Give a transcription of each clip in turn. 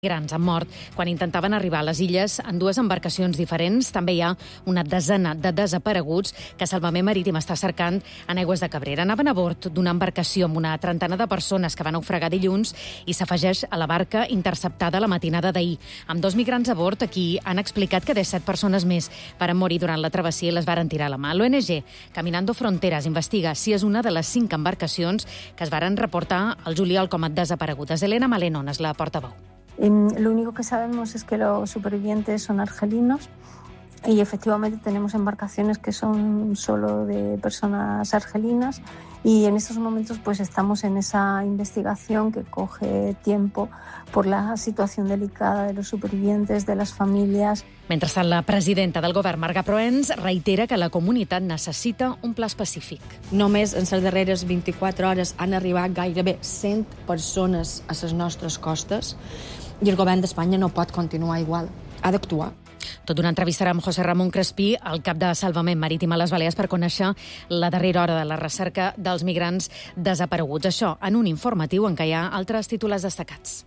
Migrants han mort quan intentaven arribar a les illes en dues embarcacions diferents. També hi ha una desena de desapareguts que Salvament Marítim està cercant en aigües de Cabrera. Anaven a bord d'una embarcació amb una trentena de persones que van naufragar dilluns i s'afegeix a la barca interceptada la matinada d'ahir. Amb 2 migrants a bord, aquí han explicat que 17 persones més varen morir durant la travessia i les varen tirar a la mà. L'ONG Caminando Fronteras investiga si és una de les 5 embarcacions que es varen reportar al juliol com a desaparegudes. Elena Maleno és la portaveu. Lo único que sabemos es que los supervivientes son argelinos y efectivamente tenemos embarcaciones que son solo de personas argelinas y en estos momentos pues estamos en esa investigación que coge tiempo por la situación delicada de los supervivientes, de las familias. Mentrestant, la presidenta del govern, Marga Proens, reitera que la comunitat necessita un pla específic. Només en les darreres 24 hores han arribat gairebé 100 persones a les nostres costes i el govern d'Espanya no pot continuar igual. Ha d'actuar. Tot una entrevistarà amb José Ramón Crespí, el cap de Salvament Marítim a les Balears, per conèixer la darrera hora de la recerca dels migrants desapareguts. Això en un informatiu en què hi ha altres titulars destacats.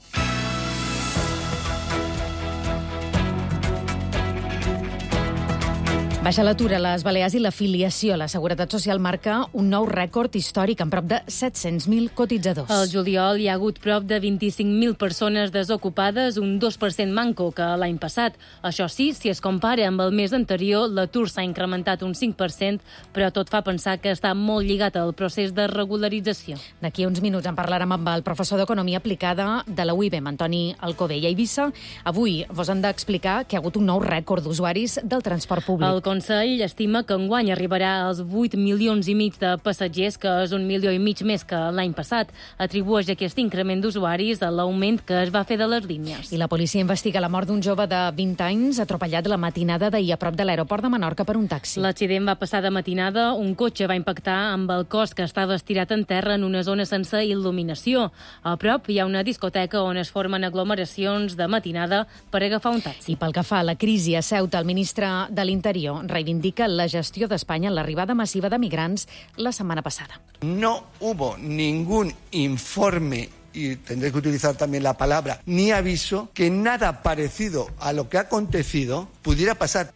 Baixa l'atur a les Balears i l'afiliació a la Seguretat Social marca un nou rècord històric amb prop de 700.000 cotitzadors. Al juliol hi ha hagut prop de 25.000 persones desocupades, un 2% manco que l'any passat. Això sí, si es compara amb el mes anterior, l'atur s'ha incrementat un 5%, però tot fa pensar que està molt lligat al procés de regularització. D'aquí uns minuts en parlarem amb el professor d'Economia Aplicada de la UIBM, Antoni Alcover. I a Eivissa, avui vos han d'explicar que hi ha hagut un nou rècord d'usuaris del transport públic. El Consell estima que enguany arribarà als 8 milions i mig de passatgers, que és 1,5 milions més que l'any passat. Atribueix aquest increment d'usuaris a l'augment que es va fer de les línies. I la policia investiga la mort d'un jove de 20 anys atropellat la matinada d'ahir a prop de l'aeroport de Menorca per un taxi. L'accident va passar de matinada. Un cotxe va impactar amb el cos que estava estirat en terra en una zona sense il·luminació. A prop hi ha una discoteca on es formen aglomeracions de matinada per agafar un taxi. I pel que fa a la crisi a Ceuta, el ministre de l'Interior reivindica la gestió d'Espanya en l'arribada massiva de migrants la setmana passada. No hubo ningún informe, y tendré que utilizar también la palabra, ni aviso, que nada parecido a lo que ha acontecido pudiera pasar.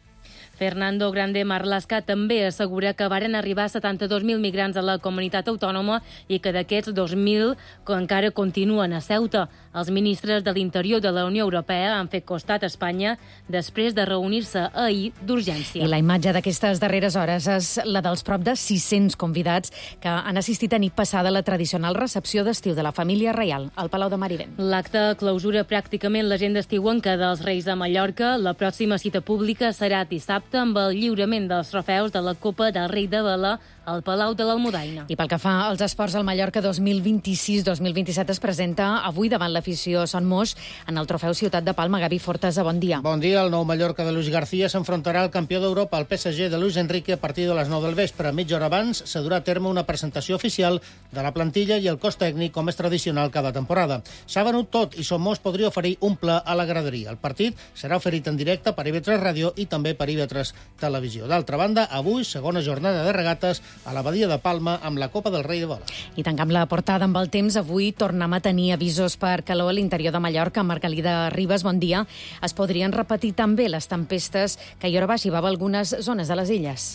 Fernando Grande Marlaska també assegura que varen arribar 72.000 migrants a la comunitat autònoma i que d'aquests 2.000 encara continuen a Ceuta. Els ministres de l'Interior de la Unió Europea han fet costat a Espanya després de reunir-se ahir d'urgència. I la imatge d'aquestes darreres hores és la dels prop de 600 convidats que han assistit a nit passada a la tradicional recepció d'estiu de la família reial al Palau de Marivent. L'acte clausura pràcticament l'agenda estiuenca dels Reis de Mallorca. La pròxima cita pública serà dissabte amb el lliurament dels trofeus de la Copa del Rei de Vela al Palau de l'Almudaina. I pel que fa als esports, el Mallorca 2026-2027 es presenta avui davant l'afició Son Moix en el trofeu Ciutat de Palma. Gavi Fortesa, bon dia. Bon dia. El nou Mallorca de Luis García s'enfrontarà al campió d'Europa, el PSG de Luis Enrique, a partir de les 9 del vespre. Mitja hora abans se durà a terme una presentació oficial de la plantilla i el cos tècnic, com és tradicional cada temporada. S'ha venut tot i Son Moix podria oferir un pla a la graderia. El partit serà oferit en directe per IB3 Ràdio i també per IB3 Televisió. D'altra banda, avui, segona jornada de regates a la Badia de Palma amb la Copa del Rei de Vela. I tancam la portada amb el temps. Avui tornem a tenir avisos per calor a l'interior de Mallorca. Margalida Ribas, bon dia. Es podrien repetir també les tempestes que ahir arribava a algunes zones de les illes.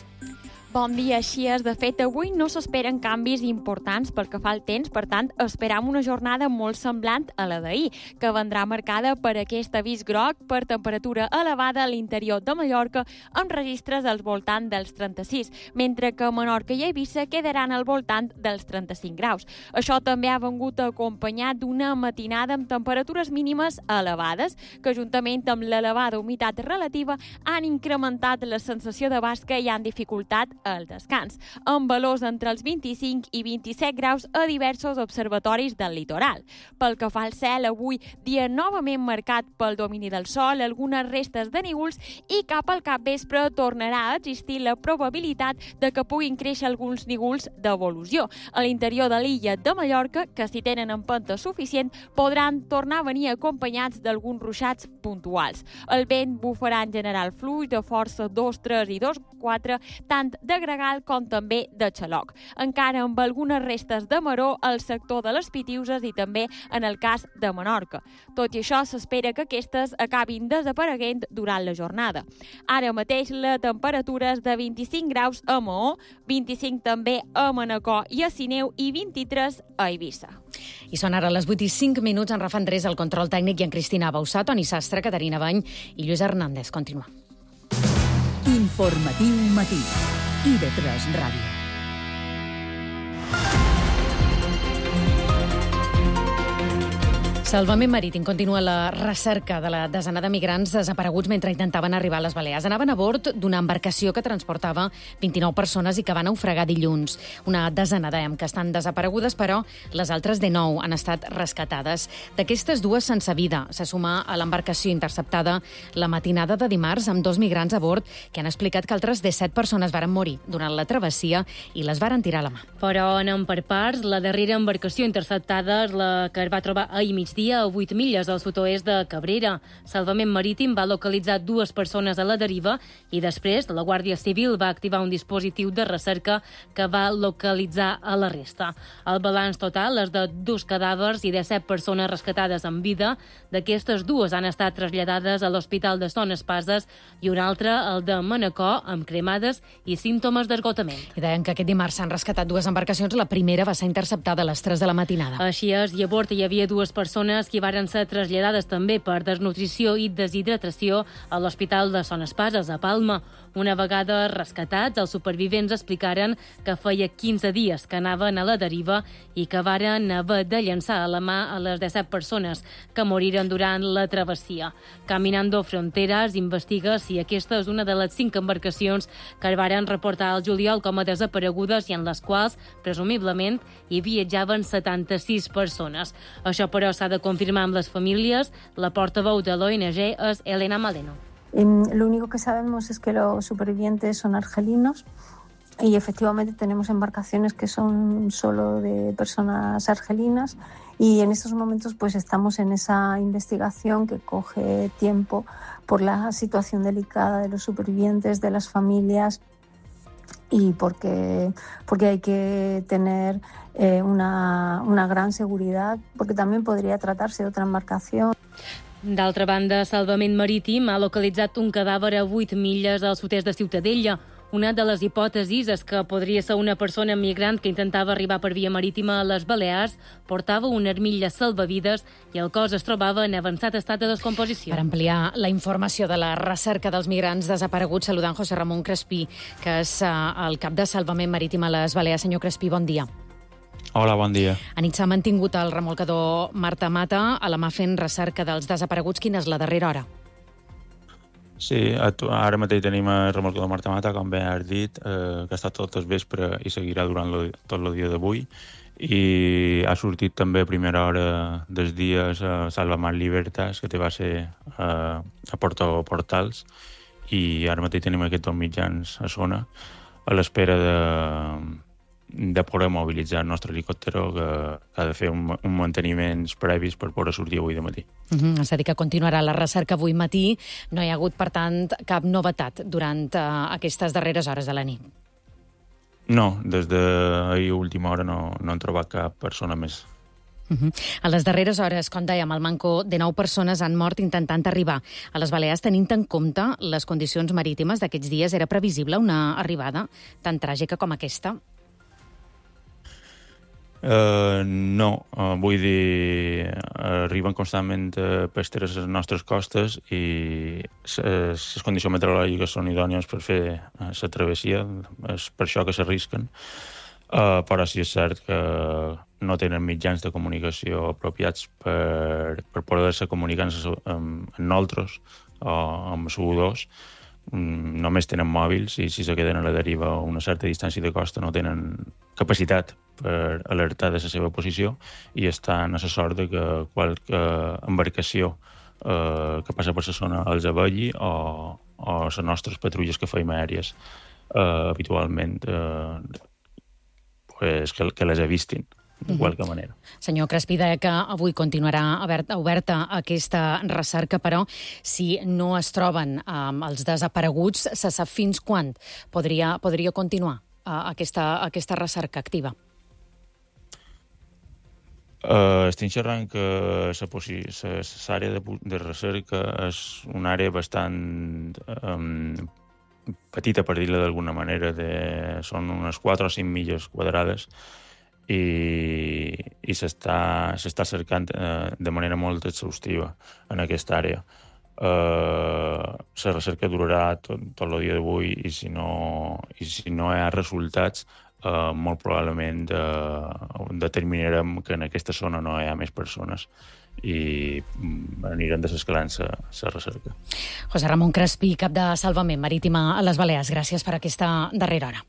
Bon dia, així és. De fet, avui no s'esperen canvis importants pel que fa al temps, per tant, esperam una jornada molt semblant a la d'ahir, que vendrà marcada per aquest avís groc per temperatura elevada a l'interior de Mallorca, amb registres al voltant dels 36, mentre que Menorca i Eivissa quedaran al voltant dels 35 graus. Això també ha vengut acompanyat d'una matinada amb temperatures mínimes elevades, que juntament amb l'elevada humitat relativa han incrementat la sensació de basca i han dificultat el descans, amb valors entre els 25 i 27 graus a diversos observatoris del litoral. Pel que fa al cel, avui dia novament marcat pel domini del sol, algunes restes de núvols i cap al capvespre tornarà a existir la probabilitat de que puguin créixer alguns núvols d'evolució. A l'interior de l'illa de Mallorca, que si tenen empenta suficient, podran tornar a venir acompanyats d'alguns ruixats puntuals. El vent bufarà en general fluix de força 2, 3 i 2, 4, tant de de gregal com també de xaloc. Encara amb algunes restes de maror al sector de les Pitiuses i també en el cas de Menorca. Tot i això, s'espera que aquestes acabin desapareguent durant la jornada. Ara mateix la temperatura és de 25 graus a Maó, 25 també a Manacor i a Sineu i 23 a Eivissa. I són ara les 8:05, en Rafa Andrés, el control tècnic, i en Cristina Bausà, Toni Sastre, Caterina Bany i Lluís Hernández. Continua. Informatiu matí. IB3 Ràdio. Salvament Marítim continua la recerca de la desena de migrants desapareguts mentre intentaven arribar a les Balears. Anaven a bord d'una embarcació que transportava 29 persones i que va naufragar dilluns. Una desena, dèiem, que estan desaparegudes, però les altres 19 han estat rescatades. D'aquestes dues sense vida se suma a l'embarcació interceptada la matinada de dimarts amb 2 migrants a bord que han explicat que altres 17 persones varen morir durant la travessia i les varen tirar a la mà. Però anem per parts. La darrera embarcació interceptada és la que es va trobar ahir migdia a 8 milles al sud-oest de Cabrera. Salvament Marítim va localitzar 2 persones a la deriva i després la Guàrdia Civil va activar un dispositiu de recerca que va localitzar a la resta. El balanç total és de 2 cadàvers i de 7 persones rescatades en vida. D'aquestes, 2 han estat traslladades a l'Hospital de Son Espases i una altra, el de Manacor, amb cremades i símptomes d'esgotament. I deien que aquest dimarts s'han rescatat 2 embarcacions. La primera va ser interceptada a les 3 de la matinada. Així és, i a bord hi havia 2 persones que varen ser traslladades també per desnutrició i deshidratació a l'Hospital de Son Espases, a Palma. Una vegada rescatats, els supervivents explicaren que feia 15 dies que anaven a la deriva i que varen haver de llançar a la mà a les 17 persones que moriren durant la travessia. Caminando Fronteras investiga si aquesta és una de les 5 embarcacions que es varen reportar al juliol com a desaparegudes i en les quals, presumiblement, hi viatjaven 76 persones. Això, però, s'ha de confirmar amb les famílies. La portaveu de l'ONG és Elena Maleno. Lo único que sabemos es que los supervivientes son argelinos y efectivamente tenemos embarcaciones que son solo de personas argelinas y en estos momentos pues estamos en esa investigación que coge tiempo por la situación delicada de los supervivientes, de las familias y porque hay que tener una gran seguridad, porque también podría tratarse de otra embarcación. D'altra banda, Salvament Marítim ha localitzat un cadàver a 8 milles al sud-est de Ciutadella. Una de les hipòtesis és que podria ser una persona migrant que intentava arribar per via marítima a les Balears, portava una armilla salvavides i el cos es trobava en avançat estat de descomposició. Per ampliar la informació de la recerca dels migrants desapareguts, saludant José Ramón Crespí, que és el cap de Salvament Marítim a les Balears. Senyor Crespí, bon dia. Hola, bon dia. Anit s'ha mantingut el remolcador Marta Mata a la mà fent recerca dels desapareguts. Quina és la darrera hora? Sí, ara mateix tenim el remolcador Marta Mata, com bé has dit, que ha estat tot el vespre i seguirà durant tot el dia d'avui. I ha sortit també a primera hora dels dies a Salvamar Libertas, que va ser a Porto Portals, i ara mateix tenim aquests 2 mitjans a zona a l'espera de poder mobilitzar el nostre helicòptero, que ha de fer un manteniments previs per poder sortir avui de matí. És a dir, que continuarà la recerca avui matí. No hi ha hagut, per tant, cap novetat durant aquestes darreres hores de la nit. No, des d'ahir última hora no han trobat cap persona més. A les darreres hores, com dèiem, al manco de 9 persones han mort intentant arribar a les Balears. Tenint en compte les condicions marítimes d'aquests dies, era previsible una arribada tan tràgica com aquesta? No, vull dir, arriben constantment pesqueres a les nostres costes i les condicions meteorològiques són idònies per fer la travessia, és per això que s'arrisquen, però sí és cert que no tenen mitjans de comunicació apropiats per poder-se comunicar amb nosaltres o amb U2. Només tenen mòbils i si se queden a la deriva a una certa distància de costa no tenen capacitat per alertar de la seva posició i estan a la sort de que qualque embarcació que passa per la zona els avelli o les nostres patrulles que feim aèries habitualment que les avistin. qualque manera. Senyor Crespí, deia que avui continuarà oberta aquesta recerca, però si no es troben els desapareguts, se sap fins quan podria continuar aquesta recerca activa? Estic xerrant que l'àrea de recerca és una àrea bastant petita, per dir-la d'alguna manera, són unes 4 o 5 milles quadrades i s'està cercant de manera molt exhaustiva en aquesta àrea. La recerca durarà tot el dia d'avui i si no hi ha resultats, molt probablement determinarem que en aquesta zona no hi ha més persones i anirem desescalant la recerca. José Ramón Crespí, cap de Salvament Marítim a les Balears, gràcies per aquesta darrera hora.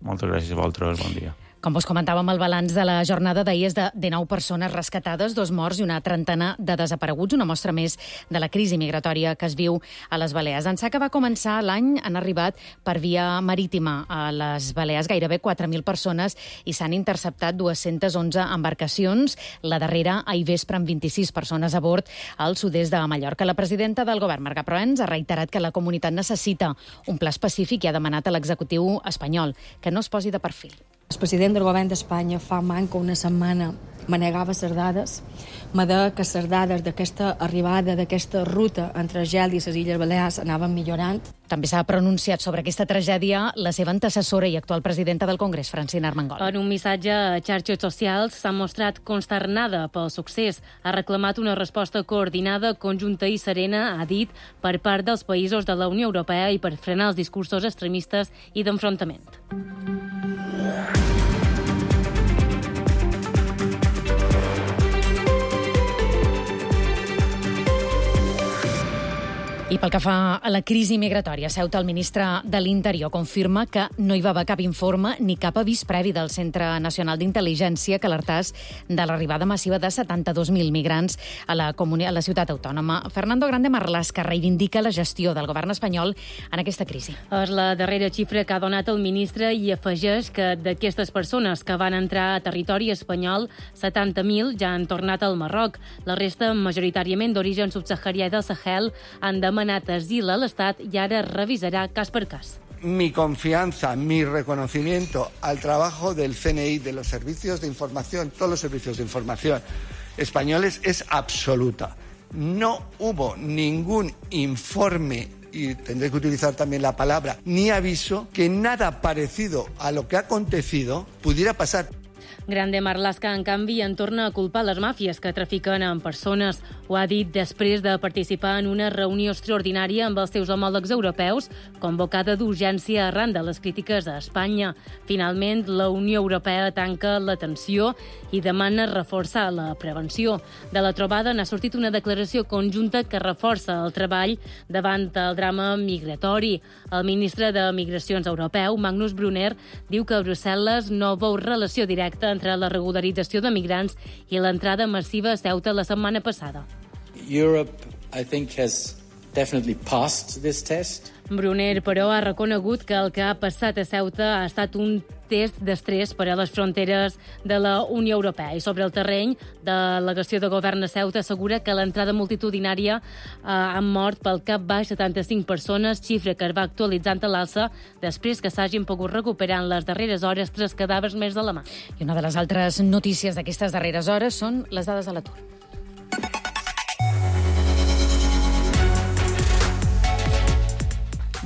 Moltes gràcies a vosaltres, bon dia. Com vos comentàvem, el balanç de la jornada d'ahir és de 19 persones rescatades, 2 morts i una trentena de desapareguts, una mostra més de la crisi migratòria que es viu a les Balears. Ençà que va començar l'any, han arribat per via marítima a les Balears gairebé 4.000 persones i s'han interceptat 211 embarcacions, la darrera ahir vespre amb 26 persones a bord al sud-est de Mallorca. La presidenta del govern, Marga Proens, ha reiterat que la comunitat necessita un pla específic i ha demanat a l'executiu espanyol que no es posi de perfil. El president del govern d'Espanya fa manca una setmana manegava les dades, me deia que les dades d'aquesta arribada, d'aquesta ruta entre Gel i les Illes Balears anaven millorant. També s'ha pronunciat sobre aquesta tragèdia la seva antecessora i actual presidenta del Congrés, Francina Armengol. En un missatge a xarxes socials s'ha mostrat consternada pel succés. Ha reclamat una resposta coordinada, conjunta i serena, ha dit, per part dels països de la Unió Europea i per frenar els discursos extremistes i d'enfrontament. I pel que fa a la crisi migratòria, Ceuta, el ministre de l'Interior confirma que no hi va haver cap informe ni cap avís previ del Centre Nacional d'Intel·ligència que alertàs de l'arribada massiva de 72.000 migrants a la ciutat autònoma. Fernando Grande Marlaska reivindica la gestió del govern espanyol en aquesta crisi. És la darrera xifra que ha donat el ministre i afegeix que d'aquestes persones que van entrar a territori espanyol, 70.000 ja han tornat al Marroc. La resta, majoritàriament d'origen subsaharià del Sahel, han demanat asil a l'Estat i ara revisarà cas per cas. Mi confianza, mi reconocimiento al trabajo del CNI, de los servicios de información, todos los servicios de información españoles es absoluta. No hubo ningún informe, y tendré que utilizar también la palabra, ni aviso, que nada parecido a lo que ha acontecido pudiera pasar. Grande Marlaska, en canvi, en torna a culpar les màfies que trafiquen en persones. Ho ha dit després de participar en una reunió extraordinària amb els seus homòlegs europeus, convocada d'urgència arran de les crítiques a Espanya. Finalment, la Unió Europea tanca la tensió i demana reforçar la prevenció. De la trobada n'ha sortit una declaració conjunta que reforça el treball davant el drama migratori. El ministre de Migracions europeu, Magnus Brunner, diu que Brussel·les no veu relació directa entre la regularització de migrants i l'entrada massiva a Ceuta la setmana passada. Europe, I think, has definitely passed this test. Brunner, però, ha reconegut que el que ha passat a Ceuta ha estat un test d'estrès per a les fronteres de la Unió Europea. I sobre el terreny, delegació de govern a Ceuta assegura que l'entrada multitudinària han mort pel cap baix 75 persones, xifra que es va actualitzant a l'alça després que s'hagin pogut recuperar en les darreres hores 3 cadàvers més de la mà. I una de les altres notícies d'aquestes darreres hores són les dades de l'atur.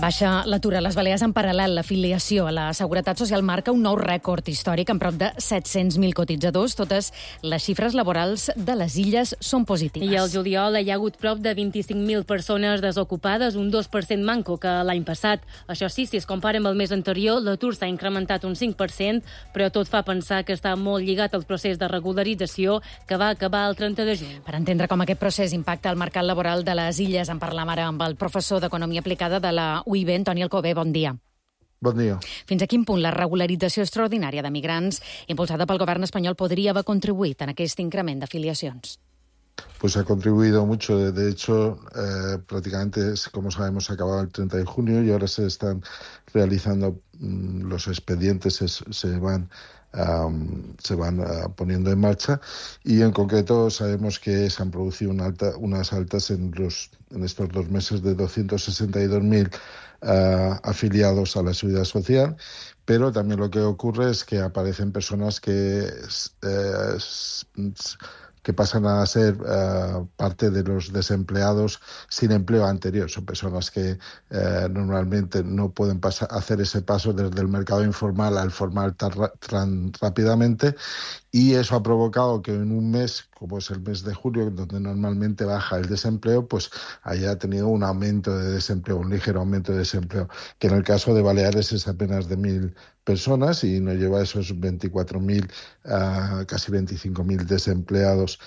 Baixa l'atur a les Balears en paral·lel. L'afiliació a la Seguretat Social marca un nou rècord històric amb prop de 700.000 cotitzadors. Totes les xifres laborals de les illes són positives. I al juliol hi ha hagut prop de 25.000 persones desocupades, un 2% manco que l'any passat. Això sí, si es compara amb el mes anterior, l'atur s'ha incrementat un 5%, però tot fa pensar que està molt lligat al procés de regularització que va acabar el 30 de juny. Per entendre com aquest procés impacta el mercat laboral de les illes, en parlam ara amb el professor d'Economia Aplicada de la UIB, Antoni Alcobé, bon dia. Bon dia. Fins a quin punt la regularització extraordinària de migrants impulsada pel govern espanyol podria haver contribuït en aquest increment d'afiliacions? Pues ha contribuido mucho. De hecho, prácticamente, como sabemos, se acababa el 30 de junio y ahora se están realizando los expedientes, se van se van poniendo en marcha, y en concreto sabemos que se han producido unas altas en estos 2 meses de 262.000 afiliados a la Seguridad Social, pero también lo que ocurre es que aparecen personas que pasan a ser parte de los desempleados sin empleo anterior. Son personas que normalmente no pueden hacer ese paso desde el mercado informal al formal tan rápidamente, y eso ha provocado que en un mes, como es el mes de julio, donde normalmente baja el desempleo, pues haya tenido un aumento de desempleo, un ligero aumento de desempleo, que en el caso de Baleares es apenas de 1.000 personas y nos lleva a esos 24.000, casi 25.000 desempleados.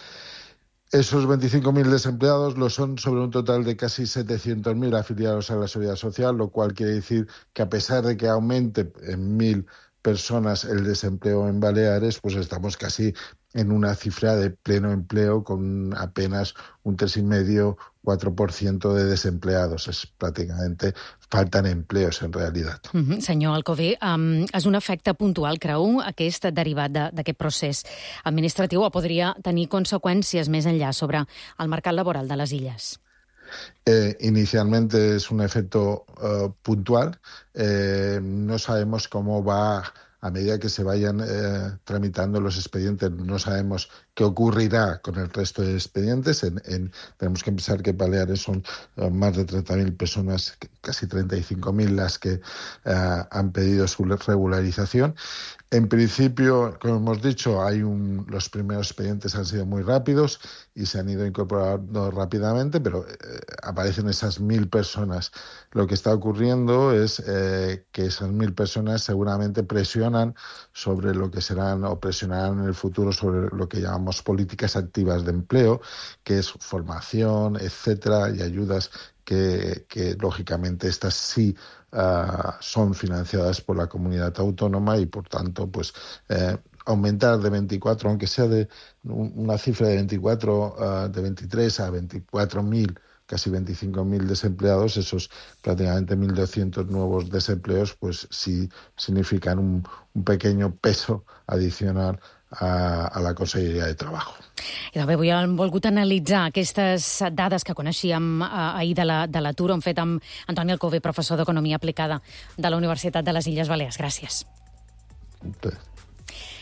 Esos 25.000 desempleados lo son sobre un total de casi 700.000 afiliados a la Seguridad Social, lo cual quiere decir que a pesar de que aumente en 1.000 personas el desempleo en Baleares, pues estamos casi en una cifra de pleno empleo con apenas un 3,5-4% de desempleados. És pràcticament falten empleos en realitat. Senyor Alcover, és un efecte puntual, creu, aquest derivat d'aquest procés administratiu, o podria tenir conseqüències més enllà sobre el mercat laboral de les illes? Inicialmente es un efecto puntual. No sabemos cómo va a medida que se vayan tramitando los expedientes. No sabemos qué ocurrirá con el resto de expedientes. Tenemos que pensar que Baleares son más de 30.000 personas, casi 35.000 las que han pedido su regularización. En principio, como hemos dicho, los primeros expedientes han sido muy rápidos y se han ido incorporando rápidamente, pero aparecen esas 1.000 personas. Lo que está ocurriendo es que esas 1.000 personas seguramente presionan sobre lo que serán o presionarán en el futuro sobre lo que llamamos políticas activas de empleo, que es formación, etcétera, y ayudas que lógicamente estas sí son financiadas por la comunidad autónoma, y por tanto pues aumentar de 24, aunque sea de una cifra de 24, de 23 a 24.000, casi 25.000 desempleados, esos prácticamente 1.200 nuevos desempleos, pues sí significan un pequeño peso adicional a la Conselleria de Trabajo. I també hem volgut analitzar aquestes dades que coneixíem ahir de l'atur. Ho hem fet amb Antoni Alcover, professor d'Economia Aplicada de la Universitat de les Illes Balears. Gràcies.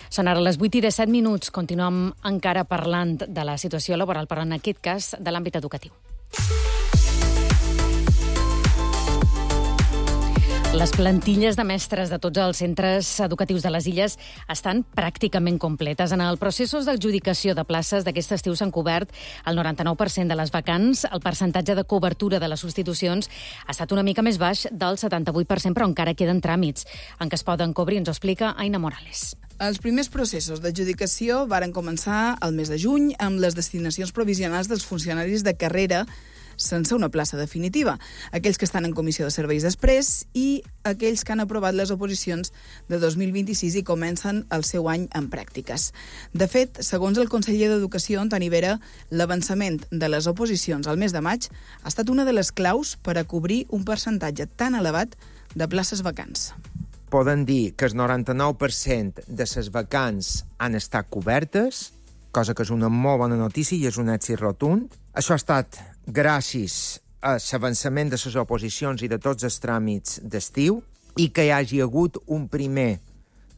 Són ara les 8:17. Continuem encara parlant de la situació laboral, però en aquest cas de l'àmbit educatiu. Les plantilles de mestres de tots els centres educatius de les illes estan pràcticament completes. En els processos d'adjudicació de places d'aquest estiu s'han cobert el 99% de les vacants. El percentatge de cobertura de les substitucions ha estat una mica més baix del 78%, però encara queden tràmits en què es poden cobrir. Ens ho explica Aina Morales. Els primers processos d'adjudicació varen començar el mes de juny amb les destinacions provisionals dels funcionaris de carrera sense una plaça definitiva, aquells que estan en comissió de serveis després i aquells que han aprovat les oposicions de 2026 i comencen el seu any en pràctiques. De fet, segons el conseller d'Educació, Antoni Vera, l'avançament de les oposicions al mes de maig ha estat una de les claus per a cobrir un percentatge tan elevat de places vacants. Poden dir que el 99% de les vacants han estat cobertes, cosa que és una molt bona notícia i és un èxit rotund. Això ha estat gràcies a l'avançament de les oposicions i de tots els tràmits d'estiu i que hi hagi hagut un primer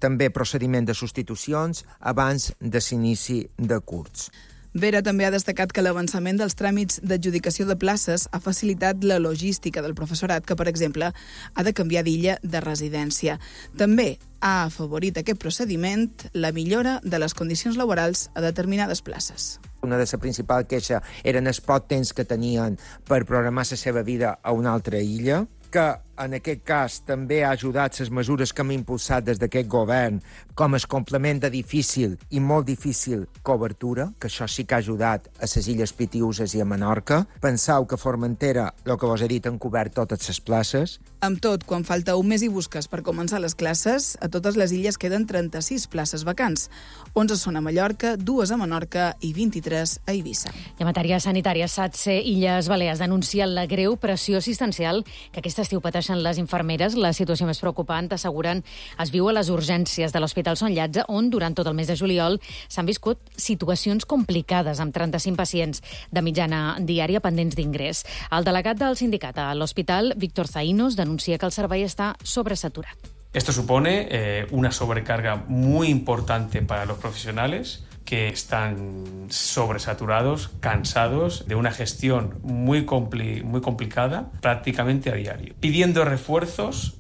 també procediment de substitucions abans de l'inici de curs. Vera també ha destacat que l'avançament dels tràmits d'adjudicació de places ha facilitat la logística del professorat que, per exemple, ha de canviar d'illa de residència. També ha afavorit aquest procediment la millora de les condicions laborals a determinades places. Una de les principals queixes eren el poc temps que tenien per programar la seva vida a una altra illa, que en aquest cas també ha ajudat les mesures que hem impulsat des d'aquest govern, com el complement de difícil i molt difícil cobertura, que això sí que ha ajudat a les illes Pitiüses i a Menorca. Penseu que Formentera, el que vos he dit, han cobert totes les places. Amb tot, quan falta un mes i busques per començar les classes, a totes les illes queden 36 places vacants. 11 són a Mallorca, 2 a Menorca i 23 a Eivissa. I en matèria sanitària, SATSE Illes Balears denuncia la greu pressió assistencial que aquest estiu pateixen descriveixen les infermeres. La situació més preocupant, asseguren, es viu a les urgències de l'Hospital Sant Llàtzer, on durant tot el mes de juliol s'han viscut situacions complicades, amb 35 pacients de mitjana diària pendents d'ingrés. El delegat del sindicat a l'hospital, Víctor Zaïnos, denuncia que el servei està sobresaturat. Esto supone una sobrecarga muy importante para los profesionales que están sobresaturados, cansados de una gestión muy complicada prácticamente a diario, pidiendo refuerzos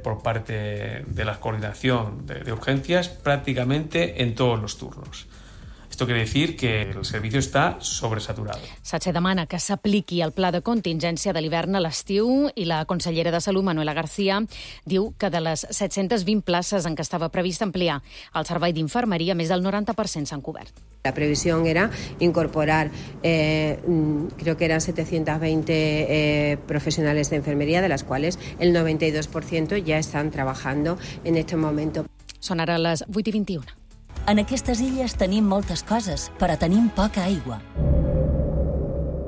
por parte de la coordinación de urgencias prácticamente en todos los turnos. Esto quiere decir que el servicio está sobresaturado. SATSE demana que s'apliqui el pla de contingència de l'hivern a l'estiu i la consellera de Salut, Manuela García, diu que de les 720 places en què estava previst ampliar el servei d'infermeria, més del 90% s'han cobert. La previsión era incorporar, creo que eran 720 profesionales de enfermería, de las cuales el 92% ya están trabajando en este momento. Són ara les 8:21. En aquestes illes tenim moltes coses, però tenim poca aigua.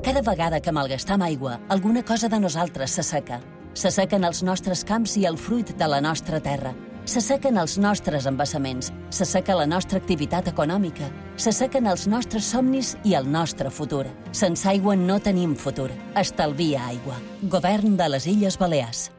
Cada vegada que malgastam aigua, alguna cosa de nosaltres s'asseca. S'assequen els nostres camps i el fruit de la nostra terra. S'assequen els nostres embassaments, s'asseca la nostra activitat econòmica, s'assequen els nostres somnis i el nostre futur. Sense aigua no tenim futur. Estalvia aigua. Govern de les Illes Balears.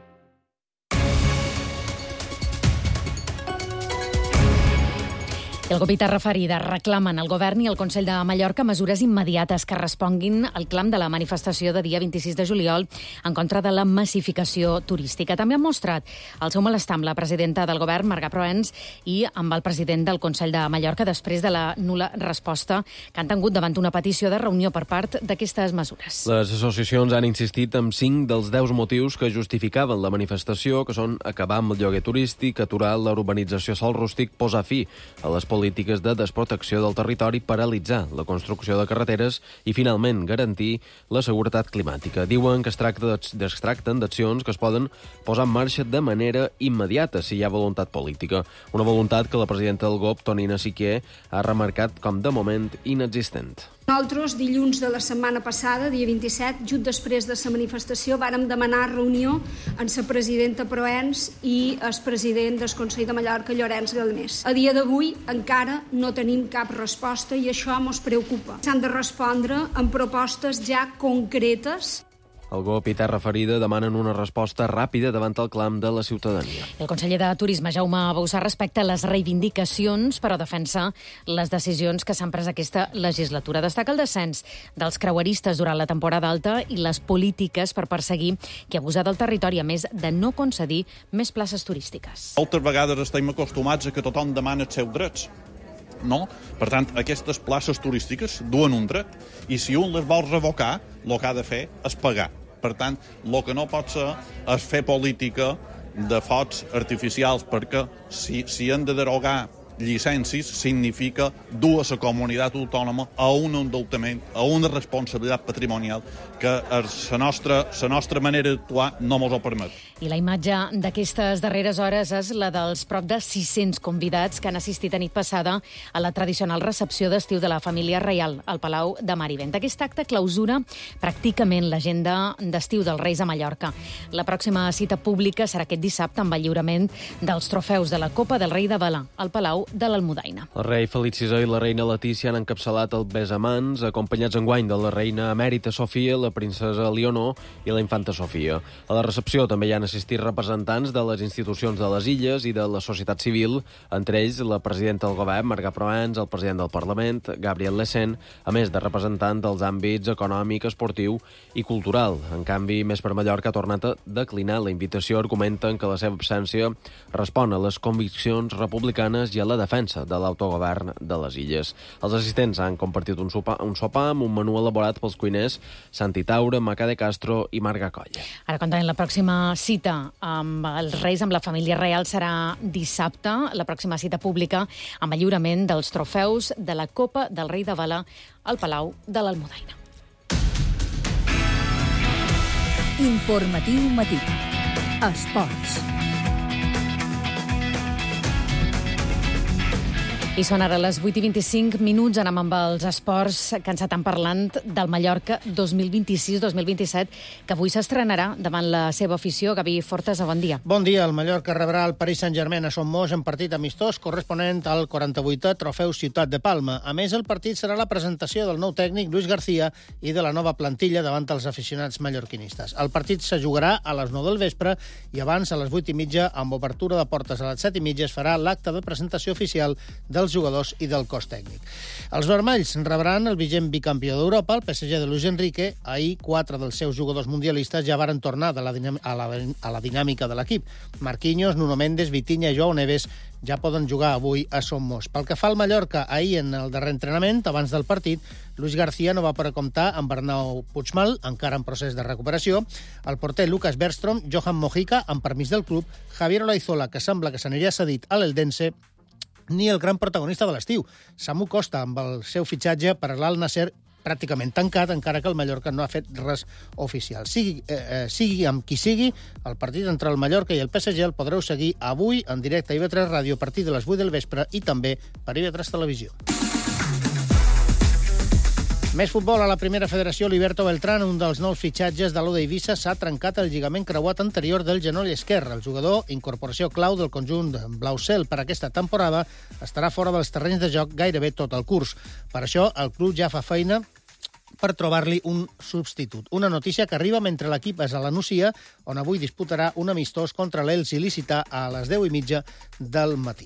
El grup Terra Ferida reclamen al govern i al Consell de Mallorca mesures immediates que responguin al clam de la manifestació de dia 26 de juliol en contra de la massificació turística. També han mostrat el seu malestar amb la presidenta del govern, Marga Proens, i amb el president del Consell de Mallorca després de la nul·la resposta que han tingut davant una petició de reunió per part d'aquestes mesures. Les associacions han insistit en 5 dels 10 motius que justificaven la manifestació, que són acabar amb el lloguer turístic, aturar la urbanització sòl rústic, posar fi a les polítiques de desprotecció del territori, paralitzar la construcció de carreteres i, finalment, garantir la seguretat climàtica. Diuen que es tracten d'accions que es poden posar en marxa de manera immediata si hi ha voluntat política. Una voluntat que la presidenta del GOP, Tonina Siquier, ha remarcat com de moment inexistent. Nosaltres, dilluns de la setmana passada, dia 27, just després de la manifestació, vàrem demanar reunió amb la presidenta Proens i el president del Consell de Mallorca, Llorenç Galmés. A dia d'avui encara no tenim cap resposta i això ens preocupa. S'han de respondre amb propostes ja concretes. El GOP i Terra Ferida demanen una resposta ràpida davant el clam de la ciutadania. El conseller de Turisme, Jaume Bausà, respecta les reivindicacions, però defensa les decisions que s'han pres aquesta legislatura. Destaca el descens dels creueristes durant la temporada alta i les polítiques per perseguir qui abusa del territori, a més de no concedir més places turístiques. Moltes vegades estem acostumats a que tothom demana els seus drets. No? Per tant, aquestes places turístiques duen un dret i si un les vol revocar, el que ha de fer és pagar. Per tant, el que no pot ser és fer política de focs artificials, perquè si han de derogar llicències significa dur a la comunitat autònoma a un endeutament, a una responsabilitat patrimonial que la nostra manera d'actuar no ens ho permet. I la imatge d'aquestes darreres hores és la dels prop de 600 convidats que han assistit a nit passada a la tradicional recepció d'estiu de la família reial al Palau de Mar i Vent. Aquest acte clausura pràcticament l'agenda d'estiu dels Reis a Mallorca. La pròxima cita pública serà aquest dissabte amb el lliurament dels trofeus de la Copa del Rei de Vela al Palau de l'Almudaina. El rei Felip VI i la reina Letícia han encapçalat el besamans, acompanyats enguany de la reina emèrita Sofia, la princesa Leonor i la infanta Sofia. A la recepció també hi han assistit representants de les institucions de les illes i de la societat civil, entre ells la presidenta del govern, Marga Proens, el president del Parlament, Gabriel Lecén, a més de representants dels àmbits econòmic, esportiu i cultural. En canvi, Més per Mallorca ha tornat a declinar la invitació, argumenten que la seva absència respon a les conviccions republicanes i a la defensa de l'autogovern de les illes. Els assistents han compartit un sopar amb un menú elaborat pels cuiners Santi Taura, Macà de Castro i Marga Colla. Ara, quan la pròxima cita amb els Reis, amb la família reial, serà dissabte, la pròxima cita pública amb el lliurament dels trofeus de la Copa del Rei de Vela al Palau de l'Almudaina. Informatiu matí. Esports. I són ara les 8:25, anem amb els esports, que ens estan parlant del Mallorca 2026-2027, que avui s'estrenarà davant la seva afició. Gavi Fortes, bon dia. Bon dia. El Mallorca rebrà el Paris Saint-Germain a Son Moix en partit amistós corresponent al 48è Trofeu Ciutat de Palma. A més, el partit serà la presentació del nou tècnic Luis García i de la nova plantilla davant els aficionats mallorquinistes. El partit se jugarà a les 9 del vespre i abans, a les 8:30, amb obertura de portes a les 7:30, es farà l'acte de presentació oficial dels jugadors i del cos tècnic. Els vermells rebran el vigent bicampió d'Europa, el PSG de Luis Enrique. Ahir, 4 dels seus jugadors mundialistes ja varen tornar a la dinàmica de l'equip. Marquinhos, Nuno Mendes, Vitinha i Joao Neves ja poden jugar avui a Son Moix. Pel que fa al Mallorca, ahir en el darrer entrenament, abans del partit, Luis García no va poder comptar amb Arnau Puigmal, encara en procés de recuperació, el porter Lucas Bergström, Johan Mojica, amb permís del club, Javier Olaizola, que sembla que s'aniria cedit a l'Eldense, ni el gran protagonista de l'estiu, Samu Costa, amb el seu fitxatge per l'Al Nasser pràcticament tancat, encara que el Mallorca no ha fet res oficial. Sigui amb qui sigui, el partit entre el Mallorca i el PSG el podreu seguir avui en directe a IB3 Ràdio a partir de les 8 del vespre i també per IB3 Televisió. Més futbol. A la primera federació, Liberto Beltrán, un dels nous fitxatges de l'Oda Eivissa, s'ha trencat el lligament creuat anterior del genoll esquerre. El jugador, incorporació clau del conjunt blau-cel per aquesta temporada, estarà fora dels terrenys de joc gairebé tot el curs. Per això, el club ja fa feina per trobar-li un substitut. Una notícia que arriba mentre l'equip és a la Nucia, on avui disputarà un amistós contra l'Elx il·lícita a les 10:30 del matí.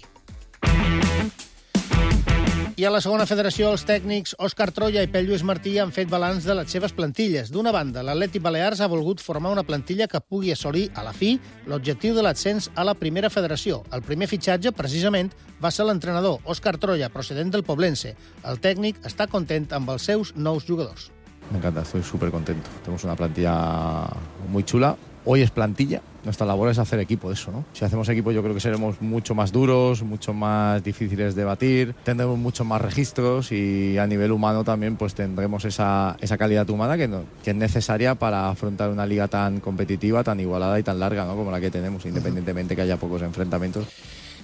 I a la segona federació, els tècnics Òscar Troya i Pep Lluís Martí han fet balanç de les seves plantilles. D'una banda, l'Atlètic Balears ha volgut formar una plantilla que pugui assolir, a la fi, l'objectiu de l'ascens a la primera federació. El primer fitxatge, precisament, va ser l'entrenador, Òscar Troya, procedent del Poblense. El tècnic està content amb els seus nous jugadors. Me encanta, estoy súper contento. Tenemos una plantilla muy chula. Hoy es plantilla, nuestra labor es hacer equipo de eso, ¿no? Si hacemos equipo yo creo que seremos mucho más duros, mucho más difíciles de batir, tendremos muchos más registros y a nivel humano también pues tendremos esa calidad humana que es necesaria para afrontar una liga tan competitiva, tan igualada y tan larga, ¿no? Como la que tenemos, independientemente que haya pocos enfrentamientos.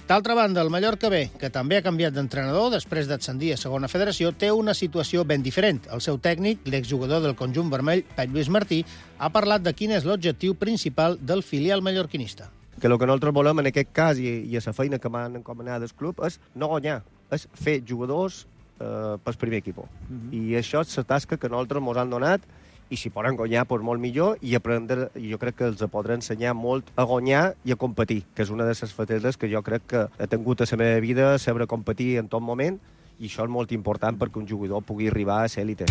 D'altra banda, el Mallorca B, que també ha canviat d'entrenador després d'ascendir a segona federació, té una situació ben diferent. El seu tècnic, l'exjugador del conjunt vermell, Pep Lluís Martí, ha parlat de quin és l'objectiu principal del filial mallorquinista. Que el que nosaltres volem en aquest cas i a la feina que m'han encomanat del club és no guanyar, és fer jugadors pel primer equip. I això és la tasca que nosaltres ens han donat i si poden guanyar, doncs molt millor, i aprendre, jo crec que els podré ensenyar molt a guanyar i a competir, que és una de les facetes que jo crec que he tingut a la meva vida, saber competir en tot moment, i això és molt important perquè un jugador pugui arribar a ser élite.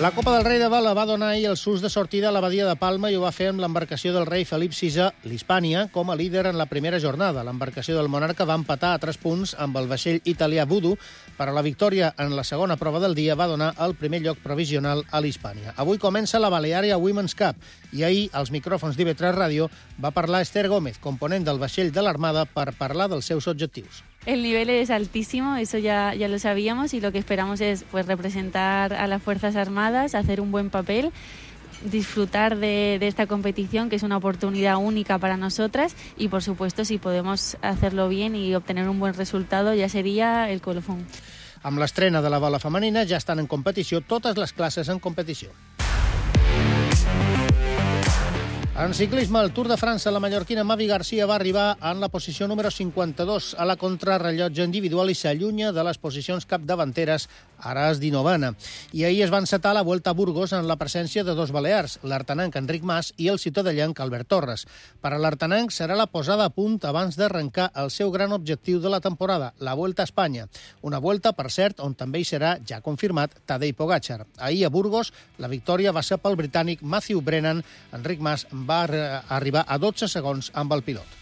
La Copa del Rei de Vela va donar ahir el sus de sortida a la Badia de Palma i ho va fer amb l'embarcació del rei Felip VI, l'Hispània, com a líder en la primera jornada. L'embarcació del monarca va empatar a 3 punts amb el vaixell italià Voodoo, però la victòria en la segona prova del dia va donar el primer lloc provisional a l'Hispània. Avui comença la Balearia Women's Cup i ahir, als micròfons d'IB3 Ràdio, va parlar Esther Gómez, component del vaixell de l'Armada, per parlar dels seus objectius. El nivel es altísimo, eso ya lo sabíamos, y lo que esperamos es pues representar a las Fuerzas Armadas, hacer un buen papel, disfrutar de esta competición, que es una oportunidad única para nosotras, y por supuesto, si podemos hacerlo bien y obtener un buen resultado, ya sería el colofón. Amb l'estrena de la vela femenina ja estan en competició totes les classes en competició. En ciclisme, el Tour de França, la mallorquina Mavi Garcia va arribar en la posició número 52 a la contrarrellotge individual i s'allunya de les posicions capdavanteres, ara és 19a. I ahir es va encetar la Vuelta a Burgos en la presència de 2 balears, l'artanenc Enric Mas i el ciutadellenc Albert Torres. Per a l'artanenc serà la posada a punt abans d'arrencar el seu gran objectiu de la temporada, la Vuelta a Espanya. Una Vuelta, per cert, on també hi serà, ja confirmat, Tadej Pogačar. Ahir a Burgos, la victòria va ser pel britànic Matthew Brennan. Enric Mas va arribar a 12 segons amb el pilot.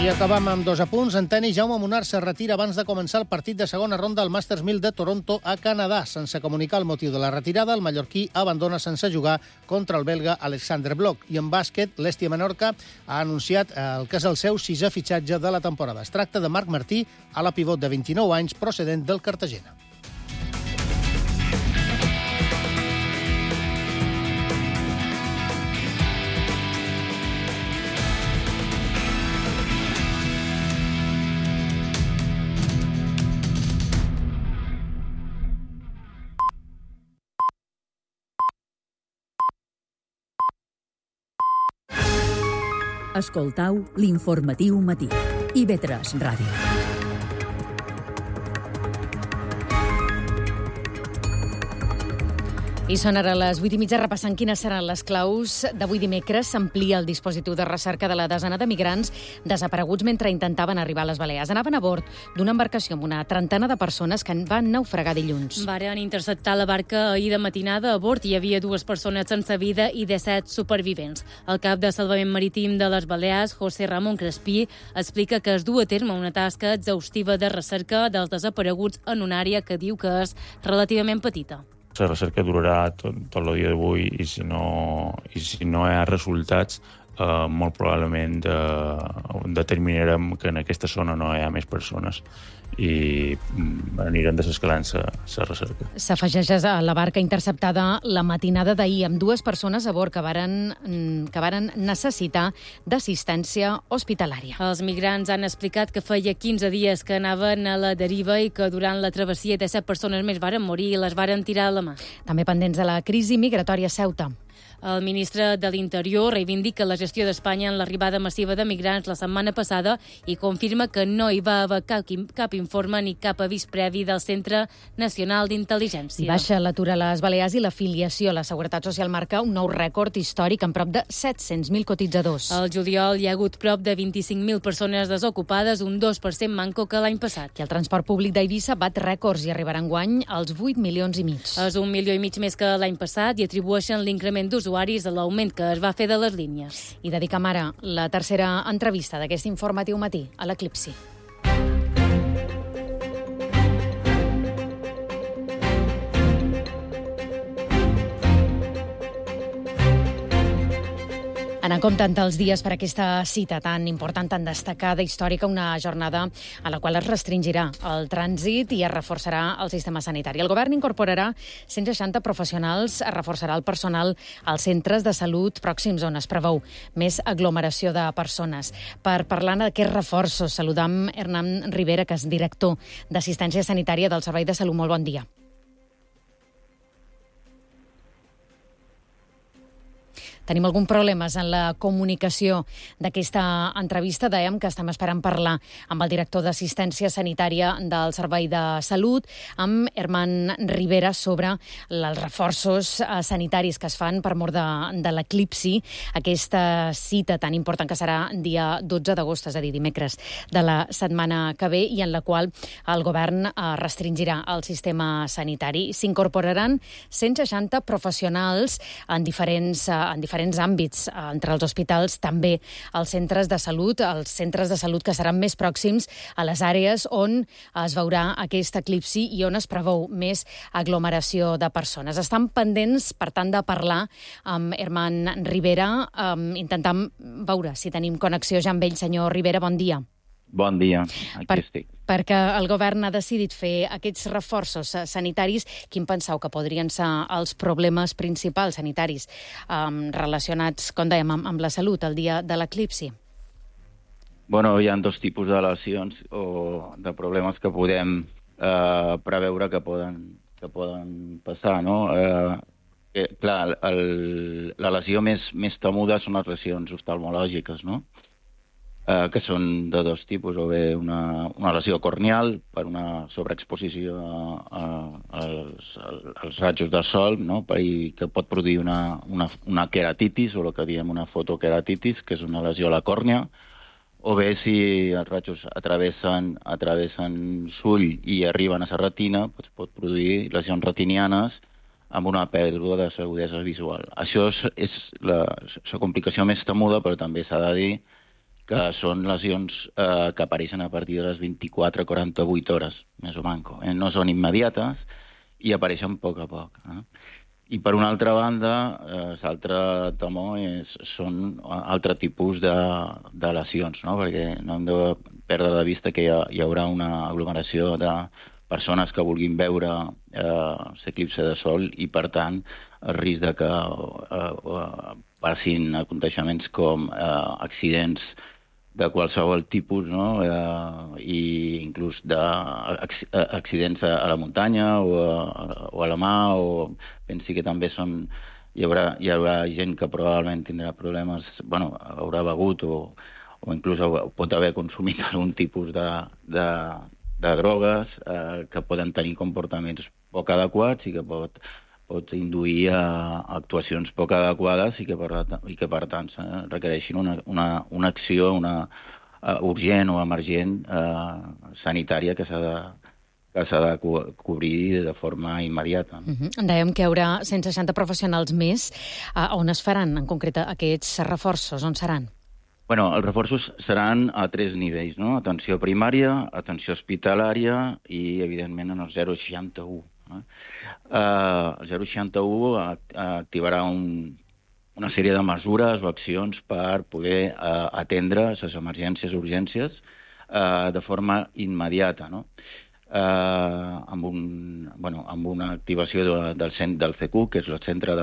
I acabam amb 2 apunts. En tenis, Jaume Munar se retira abans de començar el partit de segona ronda al Masters 1000 de Toronto a Canadà. Sense comunicar el motiu de la retirada, el mallorquí abandona sense jugar contra el belga Alexander Bloch. I en bàsquet, l'Estia Menorca ha anunciat el que és el seu 6è fitxatge de la temporada. Es tracta de Marc Martí, ala pivot de 29 anys, procedent del Cartagena. Escoltau l'informatiu matí. IB3 Ràdio. I són ara les 8:30 repassant quines seran les claus d'avui dimecres. S'amplia el dispositiu de recerca de la desena de migrants desapareguts mentre intentaven arribar a les Balears. Anaven a bord d'una embarcació amb una trentena de persones que van naufragar dilluns. Varen interceptar la barca ahir de matinada. A bord hi havia 2 persones sense vida i 17 supervivents. El cap de Salvament Marítim de les Balears, José Ramon Crespí, explica que es du a terme una tasca exhaustiva de recerca dels desapareguts en una àrea que diu que és relativament petita. La recerca durarà tot el dia d'avui i si no hi ha resultats, molt probablement determinarem que en aquesta zona no hi ha més persones i anirem desescalant la recerca. S'afegeix a la barca interceptada la matinada d'ahir amb 2 persones a bord que varen necessitar d'assistència hospitalària. Els migrants han explicat que feia 15 dies que anaven a la deriva i que durant la travessia 17 persones més varen morir i les varen tirar a la mà. També pendents de la crisi migratòria a Ceuta. El ministre de l'Interior reivindica la gestió d'Espanya en l'arribada massiva de migrants la setmana passada i confirma que no hi va haver cap informe ni cap avís previ del Centre Nacional d'Intel·ligència. Baixa l'atur a les Balears i l'afiliació a la Seguretat Social marca un nou rècord històric amb prop de 700.000 cotitzadors. Al juliol hi ha hagut prop de 25.000 persones desocupades, un 2% manco que l'any passat. I el transport públic d'Eivissa bat rècords i arribarà enguany als 8,5 milions. És 1,5 milions més que l'any passat i atribueixen l'increment d'usuaris a l'augment que es va fer de les línies. I dedicam ara la tercera entrevista d'aquest informatiu matí a l'Eclipsi. Anant comptant els dies per aquesta cita tan important, tan destacada, històrica, una jornada a la qual es restringirà el trànsit i es reforçarà el sistema sanitari. El govern incorporarà 160 professionals, es reforçarà el personal als centres de salut pròxims on es preveu més aglomeració de persones. Per parlar d'aquests reforços, saludam Hernán Rivera, que és director d'Assistència Sanitària del Servei de Salut. Molt bon dia. Tenim algun problemes en la comunicació d'aquesta entrevista. Dèiem que estem esperant parlar amb el director d'Assistència Sanitària del Servei de Salut, amb Hernán Rivera, sobre els reforços sanitaris que es fan per mort de l'Eclipsi, aquesta cita tan important que serà dia 12 d'agost, és a dir, dimecres de la setmana que ve, i en la qual el govern restringirà el sistema sanitari. S'incorporaran 160 professionals en diferents àmbits, entre els hospitals, també als centres de salut, que seran més pròxims a les àrees on es veurà aquest eclipsi i on es preveu més aglomeració de persones. Estan pendents, per tant, de parlar amb Hernán Rivera, intentant veure si tenim connexió ja amb ell. Senyor Rivera, bon dia. Bon dia, aquí estic. Perquè el govern ha decidit fer aquests reforços sanitaris, quin penseu que podrien ser els problemes principals sanitaris relacionats, com dèiem, amb la salut el dia de l'eclipsi? Bueno, hi ha 2 tipus de lesions o de problemes que podem preveure que poden passar, no? Clar, la lesió més temuda són les lesions oftalmològiques, no? Que són de 2 tipus, o bé una lesió corneal per una sobreexposició als rajos de sol, no? I que pot produir una queratitis, o el que diem una fotoqueratitis, que és una lesió a la còrnea, o bé si els rajos atravessen l'ull i arriben a la retina, pot produir lesions retinianes amb una pèrdua de l'agudesa visual. Això és la complicació més temuda, però també s'ha de dir que són lesions que apareixen a partir de les 24-48 hores, més o manco. No són immediates i apareixen a poc. I per una altra banda, l'altre temor són altre tipus de lesions, no? Perquè no hem de perdre de vista que hi haurà una aglomeració de persones que vulguin veure l'eclipsi de sol i, per tant, el risc de que passin aconteixements com accidents de qualsevol tipus, no? I inclús d'accidents a la muntanya o a la mà, o pensi que també són hi haurà gent que probablement tindrà problemes, haurà begut o inclús pot haver consumit algun tipus de drogues que poden tenir comportaments poc adequats i que pot induir a actuacions poc adequades i que per tant requereixin una acció urgent o emergent sanitària que s'ha de cobrir de forma immediata. Dèiem que hi haurà 160 professionals més. On es faran, en concret, aquests reforços? On seran? Els reforços seran a 3 nivells, no? Atenció primària, atenció hospitalària i, evidentment, en el 061. El 061 activarà una sèrie de mesures o accions per poder atendre les emergències o urgències de forma immediata, no? Amb una activació del CQ, que és el centre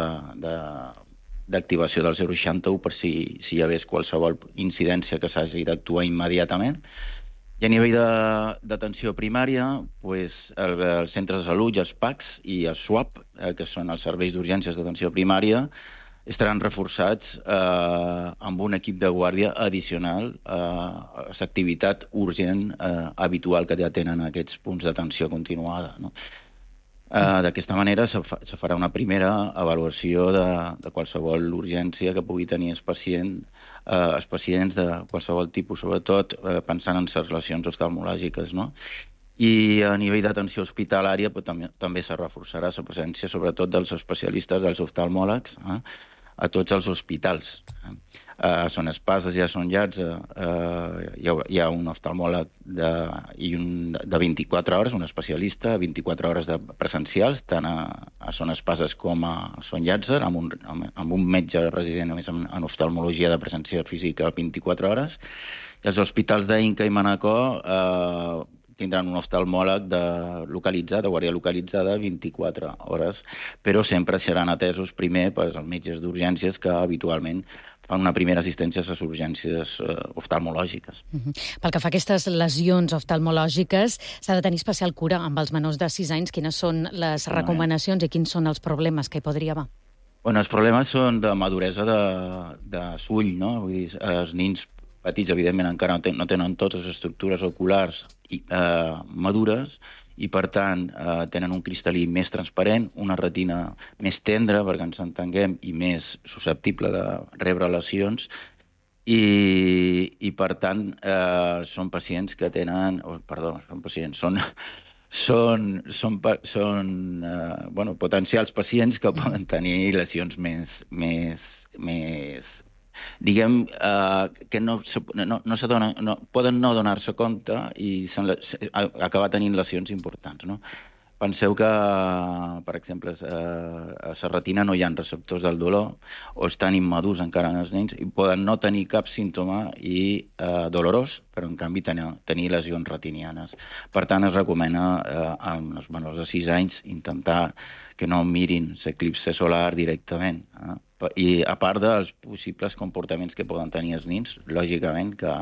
d'activació del 061 per si hi hagués qualsevol incidència que s'hagi d'actuar immediatament. I a nivell d'atenció primària, els centres de salut, els PACs i els SWAP, que són els serveis d'urgències d'atenció primària, estaran reforçats amb un equip de guàrdia addicional a l'activitat urgent habitual que ja tenen aquests punts d'atenció continuada, no? D'aquesta manera se farà una primera avaluació de qualsevol urgència que pugui tenir els pacients de qualsevol tipus, sobretot pensant en les relacions oftalmològiques, no? I a nivell d'atenció hospitalària també se reforçarà la presència sobretot dels especialistes, dels oftalmòlegs, a tots els hospitals. A Son Espases i a Son Llats hi ha un oftalmòleg de 24 hores, un especialista, 24 hores de presencials, tant a Son Espases com a Son Llàtzer, amb un metge resident només en oftalmologia de presència física 24 hores. I els hospitals d'Inca i Manacor tindran un oftalmòleg localitzat, de guàrdia localitzada, 24 hores, però sempre seran atesos primer pels metges d'urgències que habitualment fan una primera assistència a les urgències oftalmològiques. Pel que fa a aquestes lesions oftalmològiques, s'ha de tenir especial cura amb els menors de 6 anys. Quines són les recomanacions i quins són els problemes que hi podria haver? Els problemes són de maduresa d'ull, no? Vull dir, els nins petits, evidentment, encara no tenen totes les estructures oculars madures i, per tant, tenen un cristal·lí més transparent, una retina més tendra, perquè ens entenguem, i més susceptible de rebre lesions, i per tant, són pacients que tenen... Són potencials pacients que poden tenir lesions més diguem que poden no donar-se compte i acabar tenint lesions importants, no? Penseu que, per exemple, a la retina no hi ha receptors del dolor o estan immadurs encara en els nens i poden no tenir cap símptoma dolorós, però en canvi tenir lesions retinianes. Per tant, es recomana amb els menors de 6 anys intentar que no mirin l'eclipse solar directament. I a part dels possibles comportaments que poden tenir els nens, lògicament que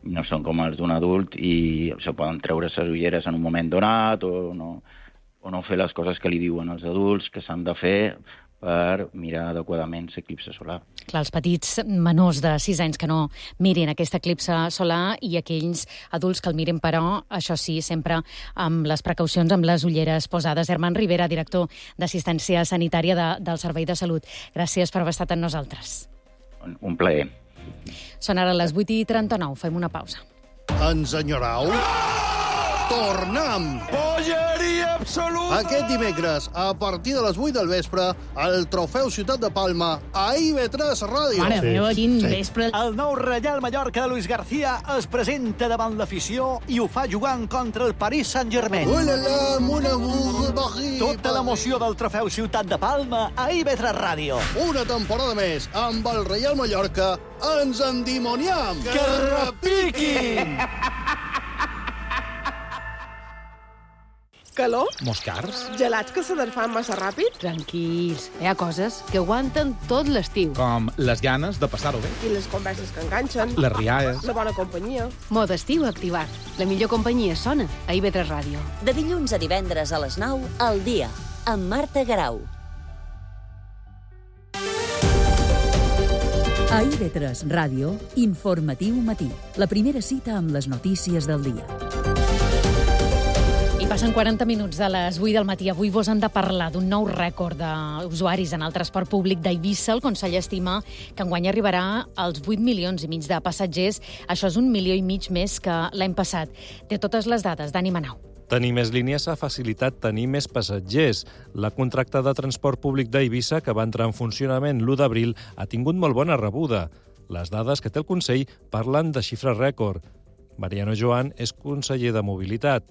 no són com els d'un adult i se poden treure les ulleres en un moment donat o no fer les coses que li diuen els adults que s'han de fer per mirar adequadament l'eclipse solar. Clar, els petits menors de 6 anys que no mirin aquesta eclipse solar i aquells adults que el mirin, però, això sí, sempre amb les precaucions, amb les ulleres posades. Herman Rivera, director d'Assistència Sanitària del Servei de Salut. Gràcies per haver estat amb nosaltres. Un plaer. Són ara les 8:39. Fem una pausa. Ens enyorau? Tornem! Polleria absoluta! Aquest dimecres, a partir de les 8 del vespre, el Trofeu Ciutat de Palma a IB3 Ràdio. Mare meva, quin vespre! El nou Reial Mallorca de Luis García es presenta davant l'afició i ho fa jugant contra el Paris Saint-Germain. Ulala, mon amour, Paris! Tota l'emoció del Trofeu Ciutat de Palma a IB3 Ràdio. Una temporada més amb el Reial Mallorca. Ens endimoniam! Que repiquin! Calor? Moscars? Gelats que se desfan massa ràpid? Tranquils, hi ha coses que aguanten tot l'estiu. Com les ganes de passar-ho bé. I les converses que enganxen. Les rialles. La bona companyia. Mode estiu activat. La millor companyia sona a IB3 Ràdio. De dilluns a divendres a les 9, al dia, amb Marta Garau. A IB3 Ràdio, Informatiu Matí. La primera cita amb les notícies del dia. I passen 40 minuts de les 8 del matí. Avui vos hem de parlar d'un nou rècord d'usuaris en el transport públic d'Eivissa. El Consell estima que enguany arribarà als 8,5 milions de passatgers. Això és 1,5 milions més que l'any passat. Té totes les dades. Dani Manau. Tenir més línies ha facilitat tenir més passatgers. La contracta de transport públic d'Eivissa, que va entrar en funcionament l'1 d'abril, ha tingut molt bona rebuda. Les dades que té el Consell parlen de xifres rècord. Mariano Joan és conseller de Mobilitat.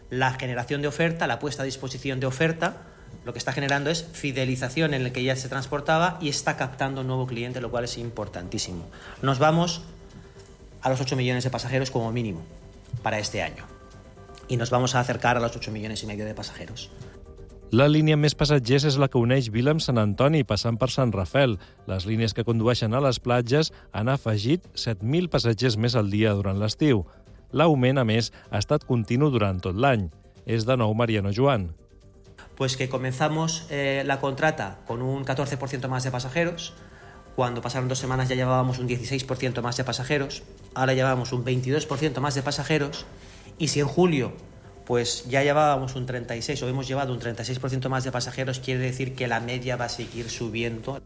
La generación de oferta, la puesta a disposición de oferta, lo que está generando es fidelización en el que ya se transportaba y está captando un nuevo cliente, lo cual es importantísimo. Nos vamos a los 8 millones de pasajeros como mínimo para este año. Y nos vamos a acercar a los 8,5 millones de pasajeros. La línia amb més passatgers és la que uneix Vila amb Sant Antoni, passant per Sant Rafel. Les línies que condueixen a les platges han afegit 7.000 passatgers més al dia durant l'estiu. L'augment, a més, ha estat continu durant tot l'any. És de nou Mariano Joan. Pues que comenzamos la contrata con un 14% más de pasajeros. Cuando pasaron 2 semanas ya llevábamos un 16% más de pasajeros. Ahora llevamos un 22% más de pasajeros. Y si en julio pues ya llevábamos un 36 o hemos llevado un 36% más de pasajeros, quiere decir que la media va a seguir subiendo.